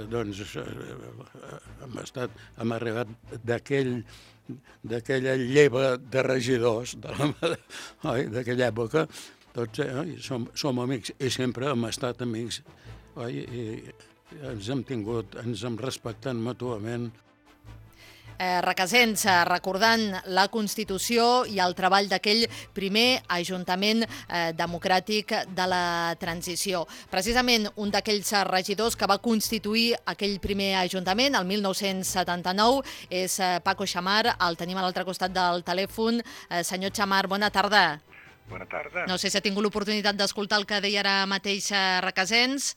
doncs, hem, estat, hem arribat d'aquell d'aquella lleva de regidors d'aquella època. Tots eh, som, som amics i sempre hem estat amics. Oi? I ens hem tingut, ens hem respectat mútuament. Eh, Requesens, recordant la Constitució i el treball d'aquell primer Ajuntament eh, democràtic de la transició. Precisament un d'aquells regidors que va constituir aquell primer Ajuntament, el mil nou-cents setanta-nou, és eh, Paco Xamar, el tenim a l'altre costat del telèfon. Eh, senyor Xamar, bona tarda. Bona tarda. No sé si ha tingut l'oportunitat d'escoltar el que deia ara mateix eh, Requesens.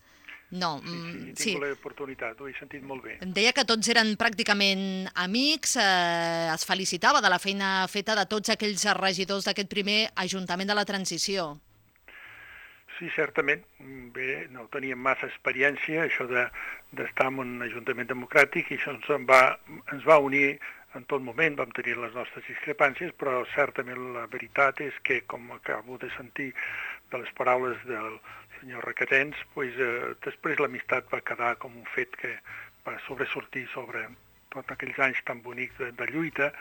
No, sí, sí, he sí. tingut l'oportunitat, ho he sentit molt bé. Deia que tots eren pràcticament amics, eh, es felicitava de la feina feta de tots aquells regidors d'aquest primer Ajuntament de la Transició. Sí, certament. Bé, no teníem massa experiència, això d'estar en un Ajuntament democràtic, i això ens va, ens va unir en tot moment. Vam tenir les nostres discrepàncies, però certament la veritat és que, com acabo de sentir de les paraules del senyor Requesens, pues, eh, després l'amistat va quedar com un fet que va sobresortir sobre tots aquells anys tan bonics de, de lluita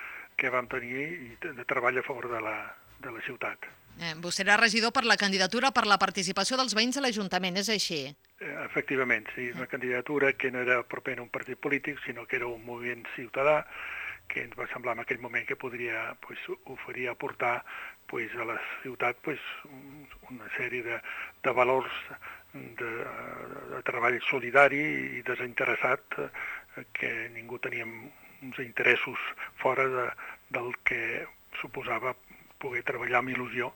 que vam tenir i de, de treball a favor de la, de la ciutat. Eh, vostè era regidor per la candidatura per la participació dels veïns a l'Ajuntament, és així? Eh, efectivament, sí, una candidatura que no era proper a un partit polític, sinó que era un moviment ciutadà que ens va semblar en aquell moment que podria pues, oferir, aportar pues, a la ciutat pues, una sèrie de, de valors de, de treball solidari i desinteressat, eh, que ningú teníem uns interessos fora de, del que suposava poder treballar amb il·lusió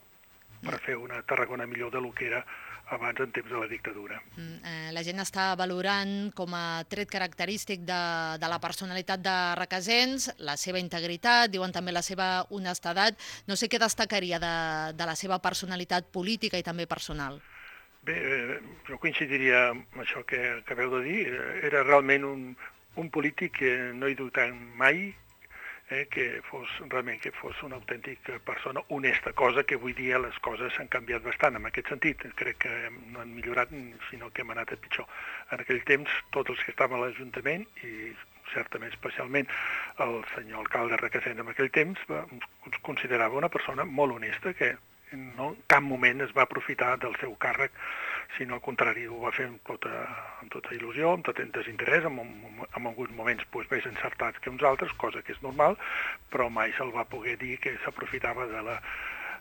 per fer una Tarragona millor del que era abans en temps de la dictadura. Mm, eh, la gent està valorant com a tret característic de, de la personalitat de Requesens la seva integritat, diuen també la seva honestedat. No sé què destacaria de, de la seva personalitat política i també personal. Bé, eh, jo coincidiria amb això que acabeu de dir. Era realment un, un polític que no he dubtat mai, Eh, que fos realment que fos una autèntica persona honesta, cosa que avui dia les coses s'han canviat bastant en aquest sentit. Crec que no han millorat, sinó que hem anat a pitjor. En aquell temps, tots els que estaven a l'Ajuntament, i certament especialment el senyor alcalde Requesens en aquell temps, va, ens considerava una persona molt honesta, que no en cap moment es va aprofitar del seu càrrec, sinó al contrari, ho va fer amb tota, amb tota il·lusió, amb tot desinterès, en, en alguns moments pues, més encertats que uns altres, cosa que és normal, però mai se'l va poder dir que s'aprofitava de la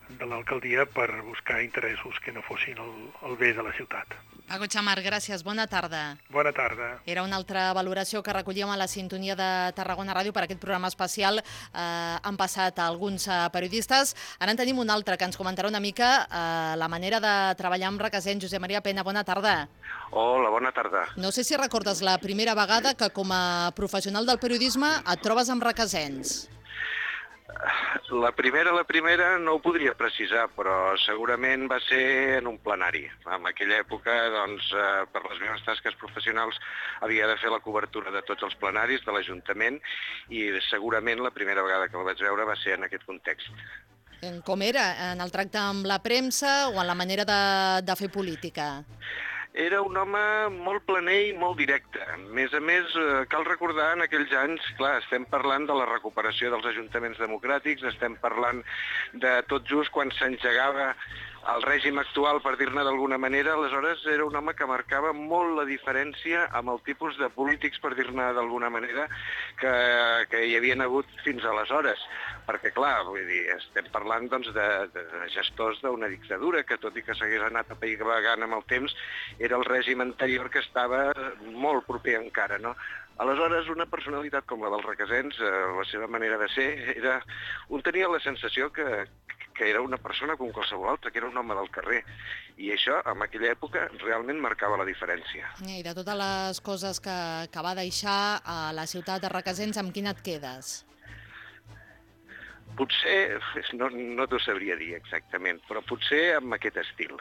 de l'alcaldia per buscar interessos que no fossin el, el bé de la ciutat. Paco Xamar, gràcies. Bona tarda. Bona tarda. Era una altra valoració que recollíem a la sintonia de Tarragona Ràdio per aquest programa especial. Eh, han passat alguns eh, periodistes. Ara en tenim un altre que ens comentarà una mica eh, la manera de treballar amb Requesens. Josep Maria Pena, bona tarda. Hola, bona tarda. No sé si recordes la primera vegada que com a professional del periodisme et trobes amb Requesens. La primera, la primera no ho podria precisar, però segurament va ser en un plenari. En aquella època, doncs, eh, per les meves tasques professionals, havia de fer la cobertura de tots els plenaris de l'Ajuntament i segurament la primera vegada que el vaig veure va ser en aquest context. Com era? En el tracte amb la premsa o en la manera de, de fer política? Era un home molt planer i molt directe. A més a més, cal recordar en aquells anys, clar, estem parlant de la recuperació dels ajuntaments democràtics, estem parlant de tot just quan s'engegava el règim actual, per dir-ne d'alguna manera. Aleshores era un home que marcava molt la diferència amb el tipus de polítics, per dir-ne d'alguna manera, que, que hi havien hagut fins aleshores. Perquè, clar, vull dir, estem parlant doncs, de, de gestors d'una dictadura que, tot i que s'hagués anat apaivagant amb el temps, era el règim anterior que estava molt proper encara, no? Aleshores, una personalitat com la dels Requesens, eh, la seva manera de ser, era... un tenia la sensació que, que era una persona com qualsevol altra, que era un home del carrer. I això, en aquella època, realment marcava la diferència. I de totes les coses que, que va deixar a la ciutat de Requesens, amb quina et quedes? Potser, no, no t'ho sabria dir exactament, però potser amb aquest estil.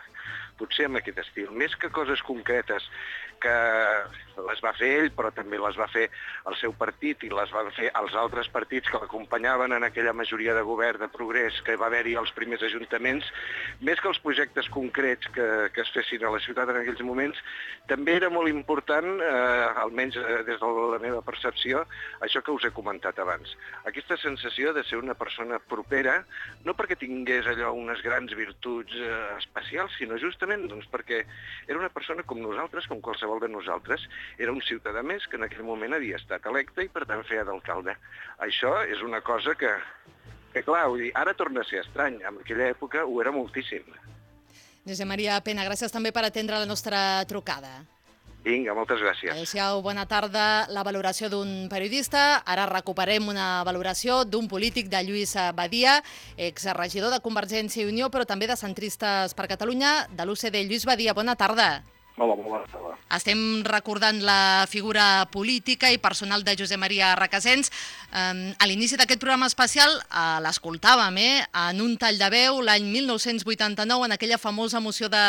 Potser amb aquest estil. Més que coses concretes que les va fer ell, però també les va fer el seu partit i les van fer els altres partits que l'acompanyaven en aquella majoria de govern de progrés que va haver-hi als primers ajuntaments, més que els projectes concrets que, que es fessin a la ciutat en aquells moments, també era molt important, eh, almenys des de la meva percepció, això que us he comentat abans. Aquesta sensació de ser una persona propera, no perquè tingués allò unes grans virtuts eh, especials, sinó justament doncs, perquè era una persona com nosaltres, com qualsevol de nosaltres, era un ciutadà més que en aquell moment havia estat electe i per tant feia d'alcalde. Això és una cosa que, que clar, vull dir, ara torna a ser estrany, en aquella època ho era moltíssim. Josep Maria Pena, gràcies també per atendre la nostra trucada. Vinga, moltes gràcies. Adéu-siau, bona tarda. La valoració d'un periodista. Ara recuperem una valoració d'un polític, de Lluís Badia, exregidor de Convergència i Unió, però també de Centristes per Catalunya, de l'U C D. Lluís Badia, bona tarda. Hola, bona tarda. Estem recordant la figura política i personal de Josep Maria Requesens. A l'inici d'aquest programa especial l'escoltàvem en un tall de veu l'any mil nou-cents vuitanta-nou, en aquella famosa moció de,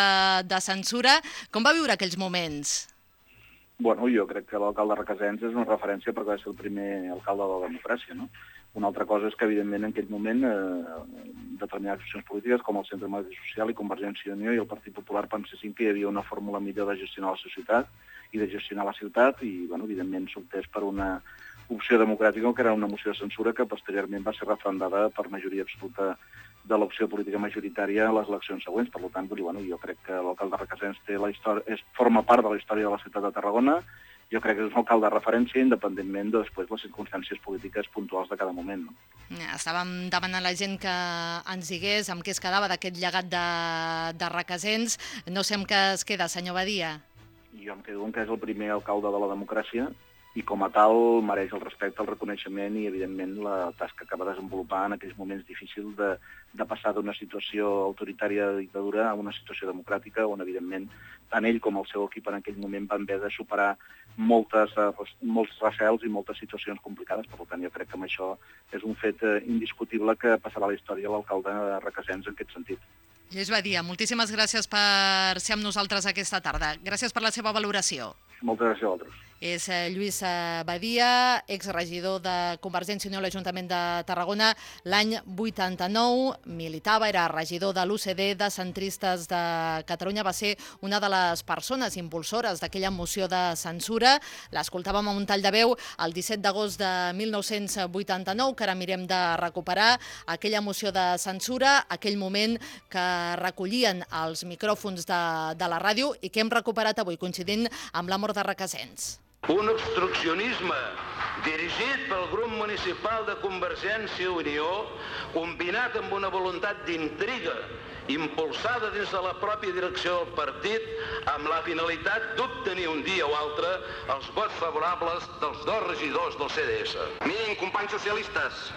de censura. Com va viure aquells moments? Bueno, jo crec que l'alcalde Requesens és una referència perquè va ser el primer alcalde de la democràcia, no? Una altra cosa és que, evidentment, en aquell moment, eh, determinades accions polítiques, com el Centre Democràtic Social i Convergència i Unió i el Partit Popular, pensessin que hi havia una fórmula millor de gestionar la societat i de gestionar la ciutat, i, bueno, evidentment, s'optés per una opció democràtica, que era una moció de censura que posteriorment va ser referendada per majoria absoluta de l'opció política majoritària a les eleccions següents. Per tant, bueno, jo crec que l'alcalde Requesens té la història, és, forma part de la història de la ciutat de Tarragona. Jo crec que és un alcalde de referència, independentment de després les circumstàncies polítiques puntuals de cada moment. No? Estàvem demanant a la gent que ens digués amb què es quedava d'aquest llegat de, de Requesens. No sé amb què es queda, senyor Badia. Jo em quedo amb que és el primer alcalde de la democràcia i com a tal mereix el respecte, el reconeixement i, evidentment, la tasca que va desenvolupar en aquells moments difícils de, de passar d'una situació autoritària de dictadura a una situació democràtica on, evidentment, tant ell com el seu equip en aquell moment van haver de superar moltes, molts recels i moltes situacions complicades. Per tant, jo crec que amb això és un fet indiscutible que passarà a la història l'alcalde Requesens en aquest sentit. Lluís Badia, moltíssimes gràcies per ser amb nosaltres aquesta tarda. Gràcies per la seva valoració. Moltes gràcies a vosaltres. És Lluís Badia, exregidor de Convergència i Unió a l'Ajuntament de Tarragona. L'any vuitanta-nou militava, era regidor de l'U C D, de Centristes de Catalunya. Va ser una de les persones impulsores d'aquella moció de censura. L'escoltàvem a un tall de veu el disset d'agost de mil nou-cents vuitanta-nou, que ara mirem de recuperar aquella moció de censura, aquell moment que recollien els micròfons de, de la ràdio i que hem recuperat avui, coincidint amb la mort de Requesens. Un obstruccionisme dirigit pel grup municipal de Convergència i Unió, combinat amb una voluntat d'intriga impulsada dins de la pròpia direcció del partit amb la finalitat d'obtenir un dia o altre els vots favorables dels dos regidors del C D S. Miren, companys socialistes,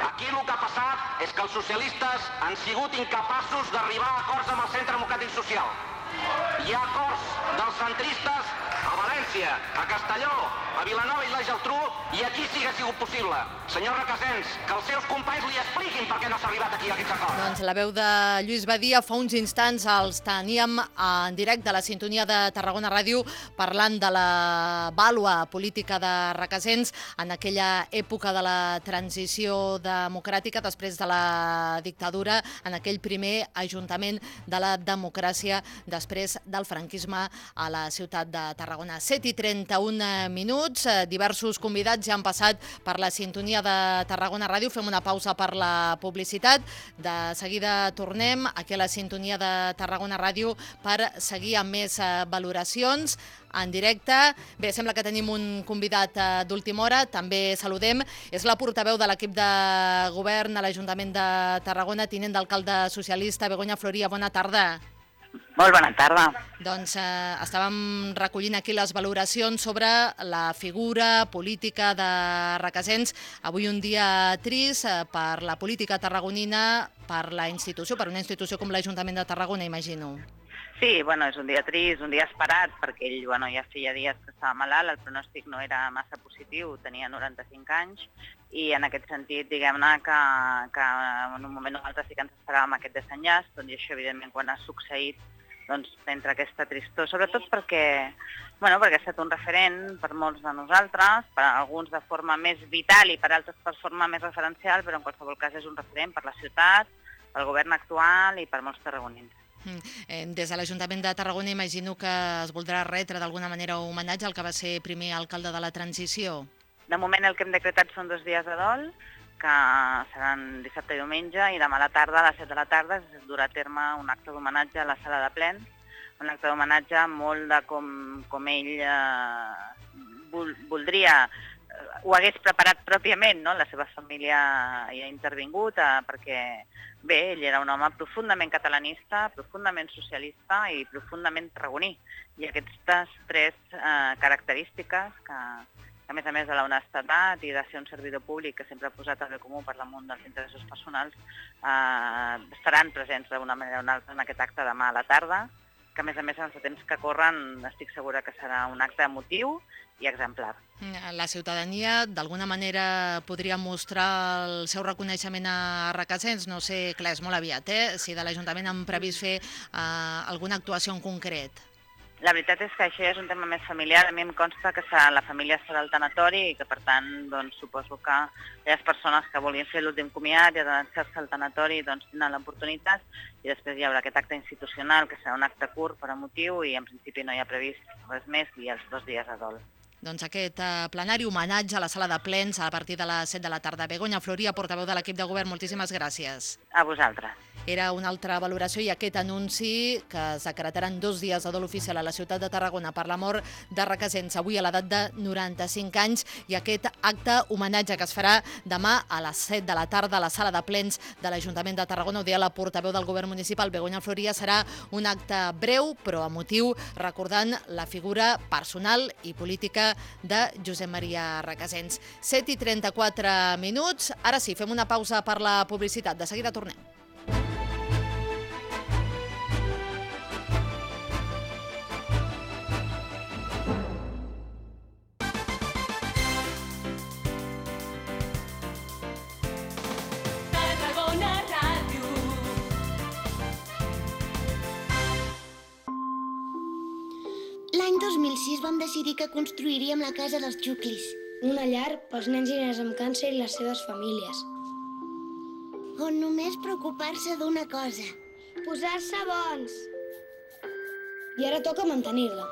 aquí el que ha passat és que els socialistes han sigut incapaços d'arribar a acords amb el Centre Democràtic Social. Hi ha acords dels centristes a València, a Castelló, a Vilanova i la Geltrú, i aquí sí que ha sigut possible. Senyor Requesens, que els seus companys li expliquin per què no s'ha arribat aquí a aquests acords. Doncs la veu de Lluís Badia fa uns instants els teníem en directe a la sintonia de Tarragona Ràdio parlant de la vàlua política de Requesens en aquella època de la transició democràtica després de la dictadura, en aquell primer ajuntament de la democràcia després del franquisme a la ciutat de Tarragona. set i trenta-un minuts, diversos convidats ja han passat per la sintonia de Tarragona Ràdio. Fem una pausa per la publicitat. De seguida tornem aquí a la sintonia de Tarragona Ràdio per seguir amb més valoracions en directe. Bé, sembla que tenim un convidat d'última hora. També saludem. És la portaveu de l'equip de govern a l'Ajuntament de Tarragona, tinent d'alcalde socialista, Begoña Floria. Bona tarda. Molt bona tarda. Doncs eh, estàvem recollint aquí les valoracions sobre la figura política de Requesens. Avui un dia trist eh, per la política tarragonina, per la institució, per una institució com l'Ajuntament de Tarragona, imagino. Sí, bueno, és un dia trist, un dia esperat, perquè ell bueno, ja feia dies que estava malalt, el pronòstic no era massa positiu, tenia noranta-cinc anys, i en aquest sentit, diguem-ne, que, que en un moment o altre sí que ens esperàvem aquest desenllaç, doncs, i això, evidentment, quan ha succeït, doncs, entra aquesta tristor, sobretot perquè, bueno, perquè ha estat un referent per molts de nosaltres, per alguns de forma més vital i per altres per forma més referencial, però en qualsevol cas és un referent per la ciutat, pel govern actual i per molts tarragonins. Des de l'Ajuntament de Tarragona imagino que es voldrà retre d'alguna manera homenatge al que va ser primer alcalde de la transició. De moment el que hem decretat són dos dies de dol, que seran dissabte i diumenge, i demà a la tarda, a les set de la tarda, es durà a terme un acte d'homenatge a la sala de plens, un acte d'homenatge molt de com, com ell eh, vol, voldria, ho hagués preparat pròpiament, no? La seva família hi ha intervingut eh, perquè, bé, ell era un home profundament catalanista, profundament socialista i profundament tarragoní. I aquestes tres eh, característiques que, a més a més de l'honestedat i de ser un servidor públic que sempre ha posat el bé comú per damunt dels interessos personals, eh, estaran presents d'una manera o una altra en aquest acte demà a la tarda, que a més a més en els temps que corren estic segura que serà un acte emotiu i exemplar. La ciutadania d'alguna manera podria mostrar el seu reconeixement a Requesens, no sé, clar, és molt aviat, eh? Si de l'Ajuntament han previst fer eh, alguna actuació en concret. La veritat és que això és un tema més familiar. A mi em consta que la família estarà al tanatori i que, per tant, doncs, suposo que les persones que vulguin fer l'últim comiat i adreçar-se al tanatori doncs, tindran l'oportunitat, i després hi haurà aquest acte institucional, que serà un acte curt per motiu, i en principi no hi ha previst res més i els dos dies de dol. Doncs aquest eh, plenari homenatge a la sala de plens a partir de les set de la tarda. Begoña Floria, portaveu de l'equip de govern, moltíssimes gràcies. A vosaltres. Era una altra valoració i aquest anunci que es decretaran dos dies de dol oficial a la ciutat de Tarragona per la mort de Requesens, avui a l'edat de noranta-cinc anys, i aquest acte homenatge que es farà demà a les set de la tarda a la sala de plens de l'Ajuntament de Tarragona. Ho deia la portaveu del govern municipal, Begoña Floria. Serà un acte breu però emotiu, recordant la figura personal i política de Josep Maria Requesens. set i trenta-quatre minuts. Ara sí, fem una pausa per la publicitat. De seguida tornem. L'any dos mil sis vam decidir que construiríem la casa dels Xuclis. Una llar pels nens i nenes amb càncer i les seves famílies. On només preocupar-se d'una cosa. Posar-se bons. I ara toca mantenir-la.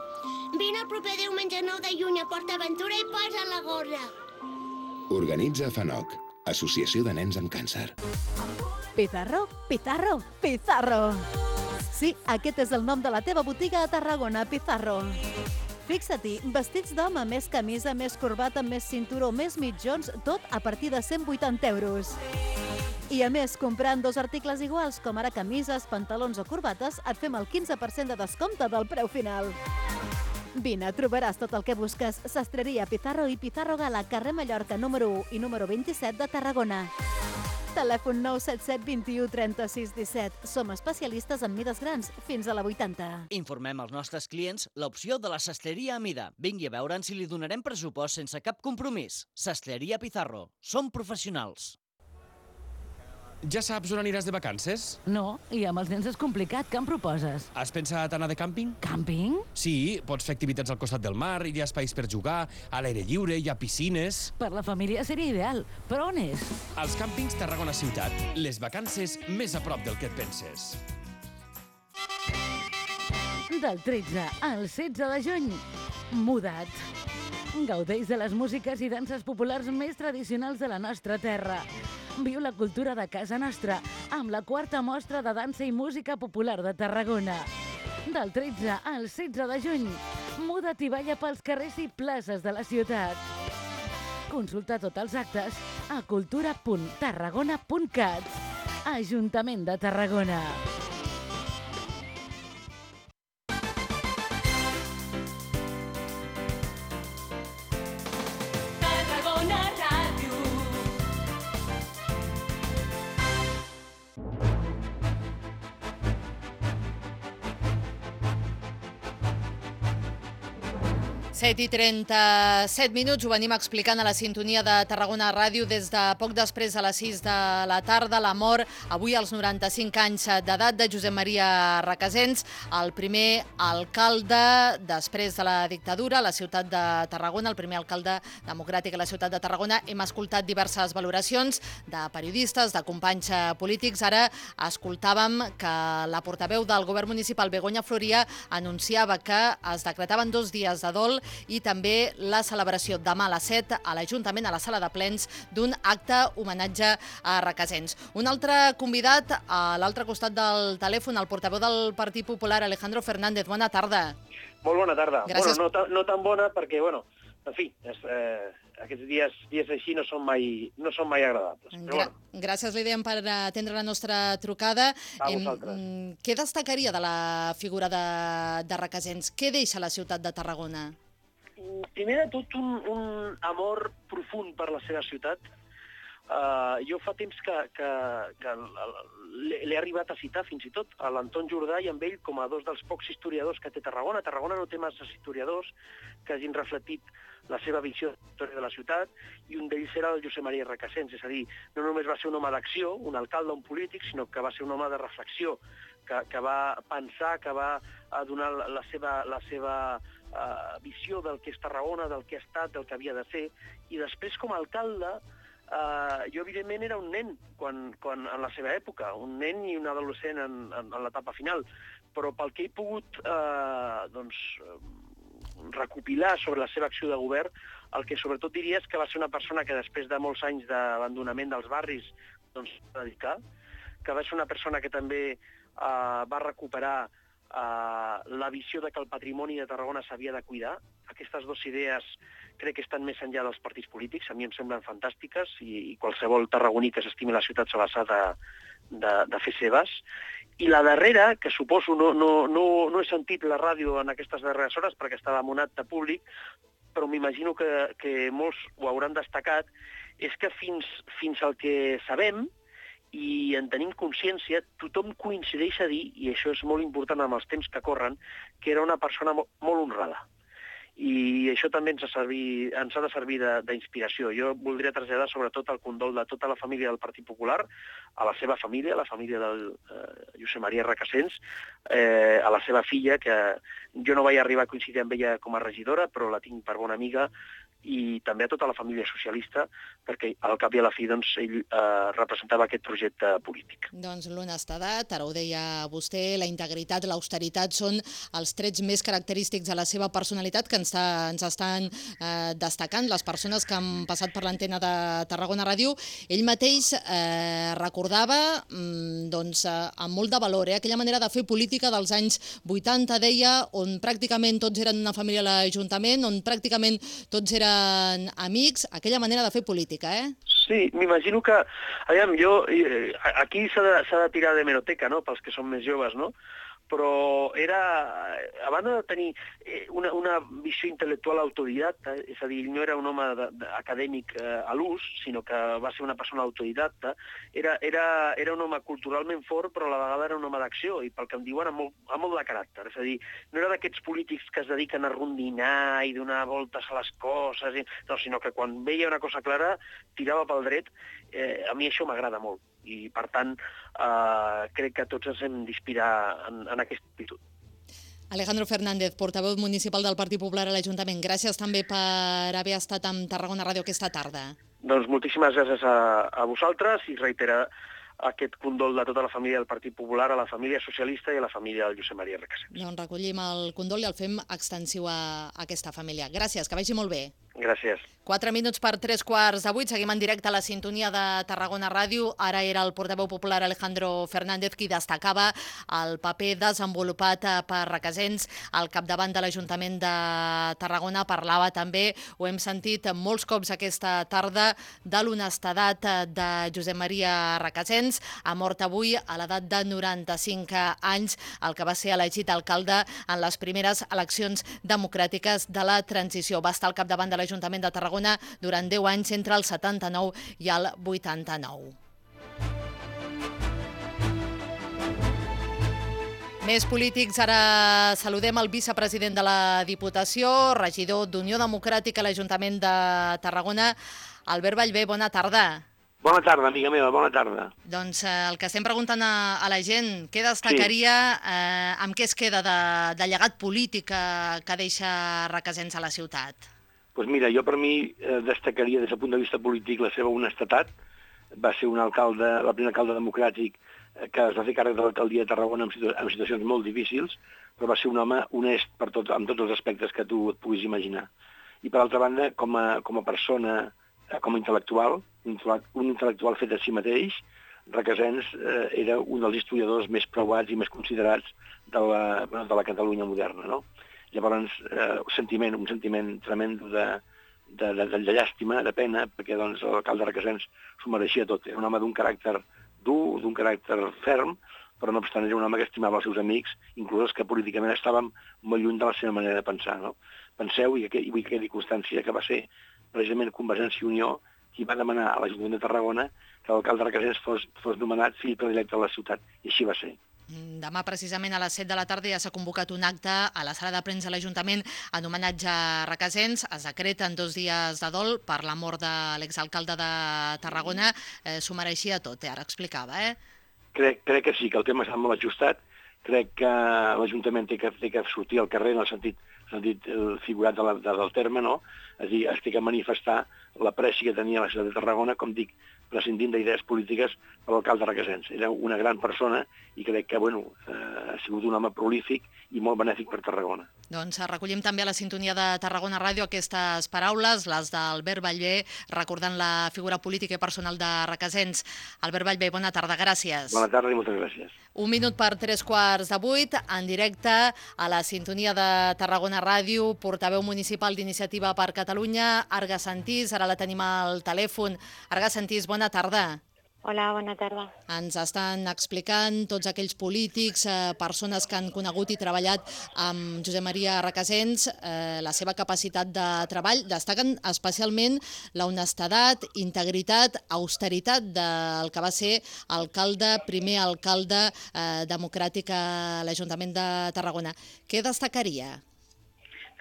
Vine el proper diumenge nou de juny a Port Aventura i posa la gorra. Organitza FANOC, Associació de Nens amb Càncer. Pizarro, Pizarro, Pizarro. Sí, aquest és el nom de la teva botiga a Tarragona, Pizarro. Fixa-t'hi, vestits d'home, més camisa, més corbata, més cinturó, més mitjons, tot a partir de cent vuitanta euros. I a més, comprant dos articles iguals, com ara camises, pantalons o corbates, et fem el quinze per cent de descompte del preu final. Vine, trobaràs tot el que busques. Sastreria Pizarro i Pizarro Gala, carrer Mallorca número u i número vint-i-set de Tarragona. Telèfon nou set set dos u trenta-sis disset. Som especialistes en mides grans, fins a la vuitanta. Informem als nostres clients l'opció de la sastreria a mida. Vingui a veure'n si li donarem pressupost sense cap compromís. Sastreria Pizarro. Som professionals. Ja saps on aniràs de vacances? No, i amb els nens és complicat. Què em proposes? Has pensat anar de càmping? Càmping? Sí, pots fer activitats al costat del mar, hi ha espais per jugar, a l'aire lliure, hi ha piscines... Per la família seria ideal, però on és? Als càmpings Tarragona Ciutat. Les vacances més a prop del que et penses. Del tretze al setze de juny, Muda't. Gaudeix de les músiques i danses populars més tradicionals de la nostra terra. Viu la cultura de casa nostra amb la quarta mostra de dansa i música popular de Tarragona. Del tretze al setze de juny, muda't i balla pels carrers i places de la ciutat. Consulta tots els actes a cultura punt tarragona punt cat. Ajuntament de Tarragona. set i trenta-set minuts, ho venim explicant a la sintonia de Tarragona Ràdio des de poc després de les sis de la tarda. La mort, avui als noranta-cinc anys d'edat, de Josep Maria Requesens, el primer alcalde després de la dictadura a la ciutat de Tarragona, el primer alcalde democràtic a la ciutat de Tarragona. Hem escoltat diverses valoracions de periodistes, de companys polítics. Ara escoltàvem que la portaveu del govern municipal, Begoña Floria, anunciava que es decretaven dos dies de dol i també la celebració demà a les set a l'Ajuntament, a la sala de plens, d'un acte homenatge a Requesens. Un altre convidat a l'altre costat del telèfon, el portaveu del Partit Popular, Alejandro Fernández. Bona tarda. Molt bona tarda. Gràcies. Bueno, no, ta, no tan bona perquè, bueno, en fi, és, eh, aquests dies, dies així no són mai, no són mai agradables. Però, Gra bueno. Gràcies, Lídia, per atendre la nostra trucada. A vosaltres. Em, què destacaria de la figura de, de Requesens? Què deixa la ciutat de Tarragona? Primer de tot, un, un amor profund per la seva ciutat. Uh, jo fa temps que, que, que l'he arribat a citar fins i tot a l'Anton Jordà i amb ell com a dos dels pocs historiadors que té Tarragona. Tarragona no té massa historiadors que hagin reflectit la seva visió de la història de la ciutat, i un d'ells era el Josep Maria Requesens. És a dir, no només va ser un home d'acció, un alcalde, un polític, sinó que va ser un home de reflexió, que, que va pensar, que va donar la seva, la seva uh, visió del que és Tarragona, del que ha estat, del que havia de ser. I després, com a alcalde, Uh, jo, evidentment, era un nen quan, quan, en la seva època, un nen i un adolescent en, en, en l'etapa final, però pel que he pogut uh, doncs, recopilar sobre la seva acció de govern, el que sobretot diria és que va ser una persona que després de molts anys d'abandonament dels barris doncs, va dedicar, que va ser una persona que també uh, va recuperar uh, la visió de que el patrimoni de Tarragona s'havia de cuidar. Aquestes dues idees crec que estan més enllà dels partits polítics, a mi em semblen fantàstiques, i, i qualsevol tarragoní que s'estimi la ciutat se les ha de, de, de fer seves. I la darrera, que suposo no, no, no, no he sentit la ràdio en aquestes darreres hores perquè estava amonat de públic, però m'imagino que, que molts ho hauran destacat, és que fins, fins al que sabem i en tenim consciència, tothom coincideix a dir, i això és molt important amb els temps que corren, que era una persona molt, molt honrada. I això també ens ha, servir, ens ha de servir d'inspiració. Jo voldria traslladar sobretot el condol de tota la família del Partit Popular, a la seva família, a la família del eh, Josep Maria Requesens, eh, a la seva filla, que jo no vaig arribar a coincidir amb ella com a regidora, però la tinc per bona amiga, i també a tota la família socialista, perquè al cap i a la fi doncs, ell eh, representava aquest projecte polític. Doncs l'honestedat, ara ho deia vostè, la integritat, l'austeritat són els trets més característics de la seva personalitat que ens, ens estan eh, destacant les persones que han passat per l'antena de Tarragona Ràdio. Ell mateix eh, recordava mm, doncs, eh, amb molt de valor eh, aquella manera de fer política dels anys vuitanta, deia, on pràcticament tots eren una família a l'Ajuntament, on pràcticament tots eren amics, aquella manera de fer política, eh? Sí, m'imagino que, aviam, jo, aquí s'ha de, s'ha de tirar d'hemeroteca, no?, pels que són més joves, no?, però era, a banda de tenir una, una visió intel·lectual autodidacta, és a dir, ell no era un home de, de, acadèmic eh, a l'ús, sinó que va ser una persona autodidacta, era, era, era un home culturalment fort, però a la vegada era un home d'acció, i pel que em diuen, amb molt, amb molt de caràcter. És a dir, no era d'aquests polítics que es dediquen a rondinar i donar voltes a les coses, i, no, sinó que quan veia una cosa clara, tirava pel dret. Eh, a mi això m'agrada molt, i per tant eh, crec que tots ens hem d'inspirar en, en aquesta actitud. Alejandro Fernández, portaveu municipal del Partit Popular a l'Ajuntament, gràcies també per haver estat amb Tarragona Ràdio aquesta tarda. Doncs moltíssimes gràcies a, a vosaltres i reiterar aquest condol de tota la família del Partit Popular, a la família socialista i a la família del Josep Maria Recasens. Doncs recollim el condol i el fem extensiu a aquesta família. Gràcies, que vagi molt bé. Gràcies. Quatre minuts per tres quarts de vuit. Seguim en directe a la sintonia de Tarragona Ràdio. Ara era el portaveu popular Alejandro Fernández qui destacava el paper desenvolupat per Requesens al capdavant de l'Ajuntament de Tarragona. Parlava també, ho hem sentit molts cops aquesta tarda, de l'honestedat de Josep Maria Requesens. Ha mort avui a l'edat de noranta-cinc anys, el que va ser elegit alcalde en les primeres eleccions democràtiques de la transició. Va estar al capdavant de l'Ajuntament de Tarragona durant deu anys, entre el setanta-nou i el vuitanta-nou. Més polítics, ara saludem el vicepresident de la Diputació, regidor d'Unió Democràtica a l'Ajuntament de Tarragona, Albert Ballbé. Bona tarda. Bona tarda, amiga meva, bona tarda. Doncs eh, el que estem preguntant a, a la gent, què destacaria, sí. eh, amb què es queda de, de llegat polític que, que deixa Requesens a la ciutat? Doncs pues mira, jo per mi eh, destacaria des del punt de vista polític la seva honestedat. Va ser un alcalde, el primer alcalde democràtic eh, que es va fer càrrec de l'alcaldia de Tarragona en, situ en situacions molt difícils, però va ser un home honest per tot, amb tots els aspectes que tu et puguis imaginar. I per altra banda, com a, com a persona, eh, com a intel·lectual, un, un intel·lectual fet a si mateix, Requesens eh, era un dels historiadors més preuats i més considerats de la, bueno, de la Catalunya moderna, no? Llavors, eh, un sentiment, un sentiment tremendo de, de, de, de llàstima, de pena, perquè doncs, l'alcalde de Requesens s'ho mereixia tot. Era un home d'un caràcter dur, d'un caràcter ferm, però no obstant era un home que estimava els seus amics, inclús els que políticament estàvem molt lluny de la seva manera de pensar. No? Penseu, i, i vull que quedi constància, que va ser precisament Convergència i Unió qui va demanar a l'Ajuntament de Tarragona que l'alcalde de Requesens fos, fos nomenat fill predilecte de la ciutat, i així va ser. Demà, precisament, a les set de la tarda ja s'ha convocat un acte a la sala de premsa de l'Ajuntament en homenatge a Requesens. Es decreten dos dies de dol per la mort de l'exalcalde de Tarragona. Eh, S'ho mereixia tot, eh? Ara explicava, eh? Crec, crec que sí, que el tema està molt ajustat. Crec que l'Ajuntament té, té que sortir al carrer en el sentit, sentit figurat de la, de, del terme, no? És a dir, es té que manifestar l'apreci que tenia la ciutat de Tarragona, com dic, prescindint d'idees polítiques per l'alcalde de Requesens. Era una gran persona i crec que bueno, eh, ha sigut un home prolífic i molt benèfic per Tarragona. Doncs recollim també a la sintonia de Tarragona Ràdio aquestes paraules, les d'Albert Ballbé, recordant la figura política i personal de Requesens. Albert Ballbé, bona tarda, gràcies. Bona tarda i moltes gràcies. Un minut per tres quarts de vuit, en directe a la sintonia de Tarragona Ràdio, portaveu municipal d'Iniciativa per Catalunya, Arga Santís, ara la tenim al telèfon. Arga Santís, bona tarda. Hola, bona tarda. Ens estan explicant tots aquells polítics, eh, persones que han conegut i treballat amb Josep Maria Requesens, eh, la seva capacitat de treball. Destaquen especialment la honestedat, integritat, austeritat del que va ser alcalde, primer alcalde eh, democràtic a l'Ajuntament de Tarragona. Què destacaria?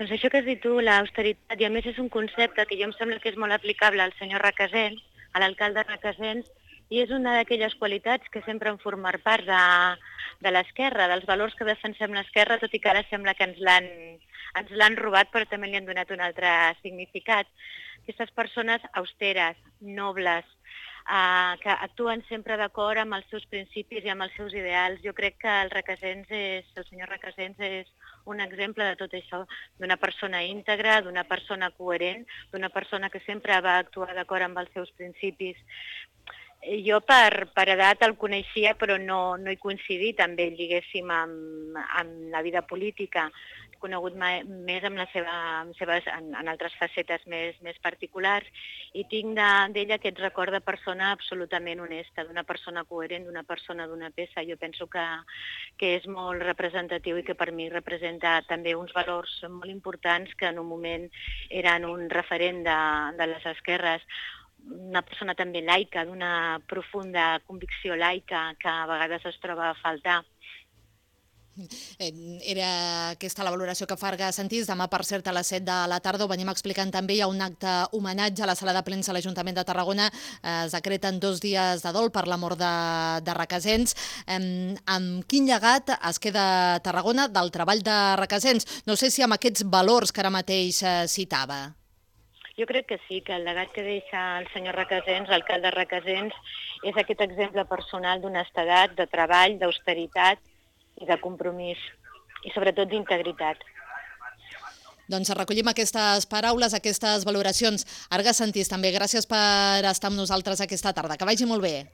Doncs això que has dit tu, l'austeritat, i a més és un concepte que jo em sembla que és molt aplicable al senyor Requesens, a l'alcalde Requesens, i és una d'aquelles qualitats que sempre han format part de, de l'esquerra, dels valors que defensem l'esquerra, tot i que ara sembla que ens l'han ens l'han robat, però també li han donat un altre significat. Aquestes persones austeres, nobles, eh, que actuen sempre d'acord amb els seus principis i amb els seus ideals. Jo crec que el Requesens és, el senyor Requesens és un exemple de tot això, d'una persona íntegra, d'una persona coherent, d'una persona que sempre va actuar d'acord amb els seus principis. Jo per, per edat el coneixia, però no, no he coincidit amb ell, diguéssim, amb, amb la vida política. conegut més amb la seva, amb seves, en, en altres facetes més, més particulars, i tinc d'ella aquest record de persona absolutament honesta, d'una persona coherent, d'una persona d'una peça. Jo penso que, que és molt representatiu i que per mi representa també uns valors molt importants que en un moment eren un referent de, de les esquerres. Una persona també laica, d'una profunda convicció laica que a vegades es troba a faltar. Era aquesta la valoració que farga Santís. Demà, per cert, a les set de la tarda, ho venim explicant també, hi ha un acte homenatge a la sala de plens a l'Ajuntament de Tarragona. Es decreten dos dies de dol per la mort de, de Requesens. Amb quin llegat es queda Tarragona del treball de Requesens? No sé si amb aquests valors que ara mateix citava. Jo crec que sí, que el llegat que deixa el senyor Requesens, l'alcalde Requesens, és aquest exemple personal d'honestedat, de treball, d'austeritat i de compromís, i sobretot d'integritat. Doncs recollim aquestes paraules, aquestes valoracions. Arga Santís, també gràcies per estar amb nosaltres aquesta tarda. Que vagi molt bé.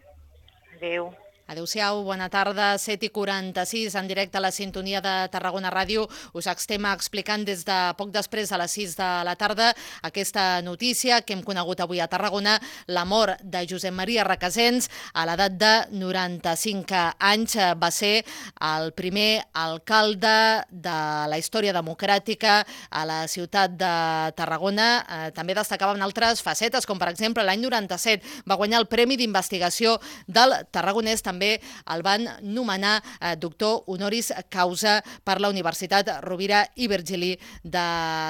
Adéu. Adéu-siau, bona tarda, set i quaranta-sis, en directe a la sintonia de Tarragona Ràdio. Us estem explicant des de poc després, a les sis de la tarda, aquesta notícia que hem conegut avui a Tarragona, la mort de Josep Maria Requesens a l'edat de noranta-cinc anys. Va ser el primer alcalde de la història democràtica a la ciutat de Tarragona. També destacava en altres facetes, com per exemple l'any noranta-set va guanyar el Premi d'Investigació del Tarragonès. També el van nomenar eh, doctor honoris causa per la Universitat Rovira i Virgili de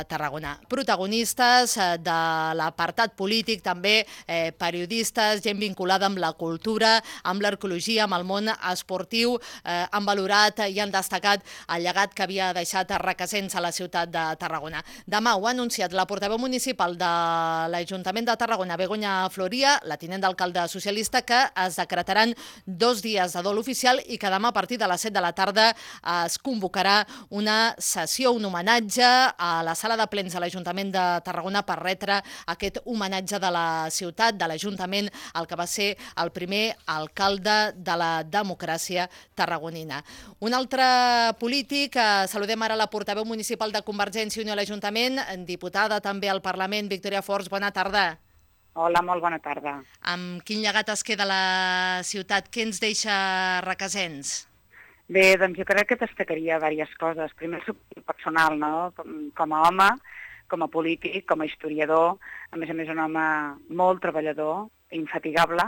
Tarragona. Protagonistes eh, de l'apartat polític, també eh, periodistes, gent vinculada amb la cultura, amb l'arqueologia, amb el món esportiu, eh, han valorat i han destacat el llegat que havia deixat Requesens a la ciutat de Tarragona. Demà ho ha anunciat la portaveu municipal de l'Ajuntament de Tarragona, Begoña Floria, la tinent d'alcalde socialista, que es decretaran dos dies de dol oficial i que demà a partir de les set de la tarda es convocarà una sessió, un homenatge a la sala de plens de l'Ajuntament de Tarragona per retre aquest homenatge de la ciutat, de l'Ajuntament, el que va ser el primer alcalde de la democràcia tarragonina. Un altre polític, saludem ara la portaveu municipal de Convergència i Unió a l'Ajuntament, diputada també al Parlament, Victòria Forns, bona tarda. Hola, molt bona tarda. Amb quin llegat es queda la ciutat? Què ens deixa Requesens? Bé, doncs jo crec que destacaria diverses coses. Primer, el personal, no? Com, com a home, com a polític, com a historiador, a més a més un home molt treballador, infatigable,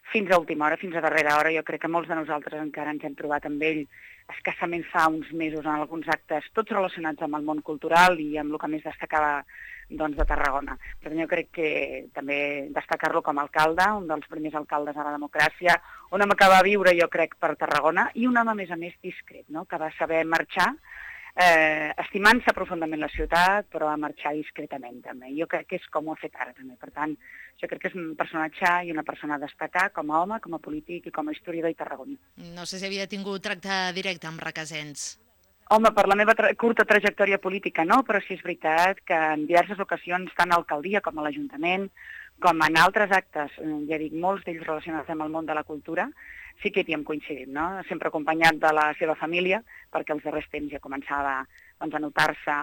fins a última hora, fins a darrera hora. Jo crec que molts de nosaltres encara ens hem trobat amb ell escassament fa uns mesos en alguns actes, tots relacionats amb el món cultural i amb el que més destacava doncs, de Tarragona. Per tant, jo crec que també destacar-lo com a alcalde, un dels primers alcaldes a la democràcia, un home que va viure, jo crec, per Tarragona, i un home, a més a més, discret, no? Que va saber marxar, eh, estimant-se profundament la ciutat, però a marxar discretament, també. Jo crec que és com ho ha fet ara, també. Per tant, jo crec que és un personatge i una persona a destacar com a home, com a polític i com a historiador i tarragoní. No sé si havia tingut tracte directe amb Requesens. Home, per la meva tra curta trajectòria política no, però sí és veritat que en diverses ocasions, tant a l'alcaldia com a l'Ajuntament, com en altres actes, ja dic, molts d'ells relacionats amb el món de la cultura, sí que hi hem coincidit, no? Sempre acompanyat de la seva família, perquè els darrers temps ja començava doncs, a notar-se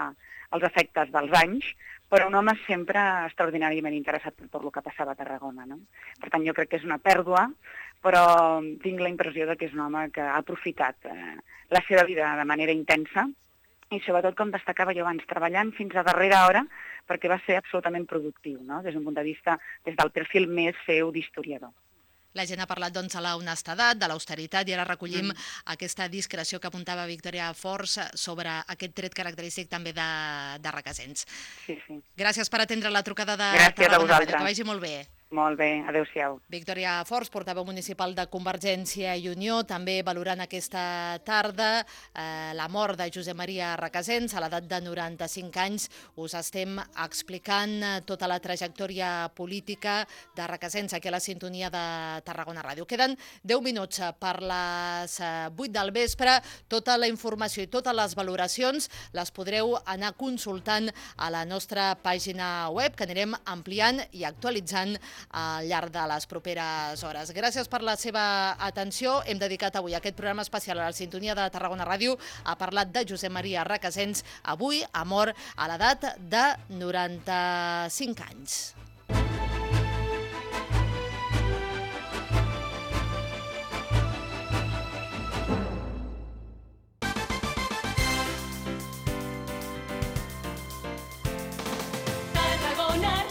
els efectes dels anys, però un home sempre extraordinàriament interessat per tot el que passava a Tarragona, no? Per tant, jo crec que és una pèrdua, però tinc la impressió que és un home que ha aprofitat eh, la seva vida de manera intensa i sobretot, com destacava jo abans, treballant fins a darrera hora perquè va ser absolutament productiu, no? Des d'un punt de vista, des del perfil més seu d'historiador. La gent ha parlat doncs, de la honestedat, de l'austeritat, i ara recollim mm. aquesta discreció que apuntava Victòria Forns sobre aquest tret característic també de, de Requesens. Sí, sí. Gràcies per atendre la trucada de Gràcies Tarragona Ràdio. Que vagi molt bé. Molt bé, adéu-siau. Victòria Forns, portaveu municipal de Convergència i Unió, també valorant aquesta tarda eh, la mort de Josep Maria Requesens a l'edat de noranta-cinc anys. Us estem explicant tota la trajectòria política de Requesens aquí a la sintonia de Tarragona Ràdio. Queden deu minuts per les vuit del vespre. Tota la informació i totes les valoracions les podreu anar consultant a la nostra pàgina web, que anirem ampliant i actualitzant al llarg de les properes hores. Gràcies per la seva atenció. Hem dedicat avui aquest programa especial a la sintonia de Tarragona Ràdio a parlar de Josep Maria Recasens, avui ha mort a l'edat de noranta-cinc anys.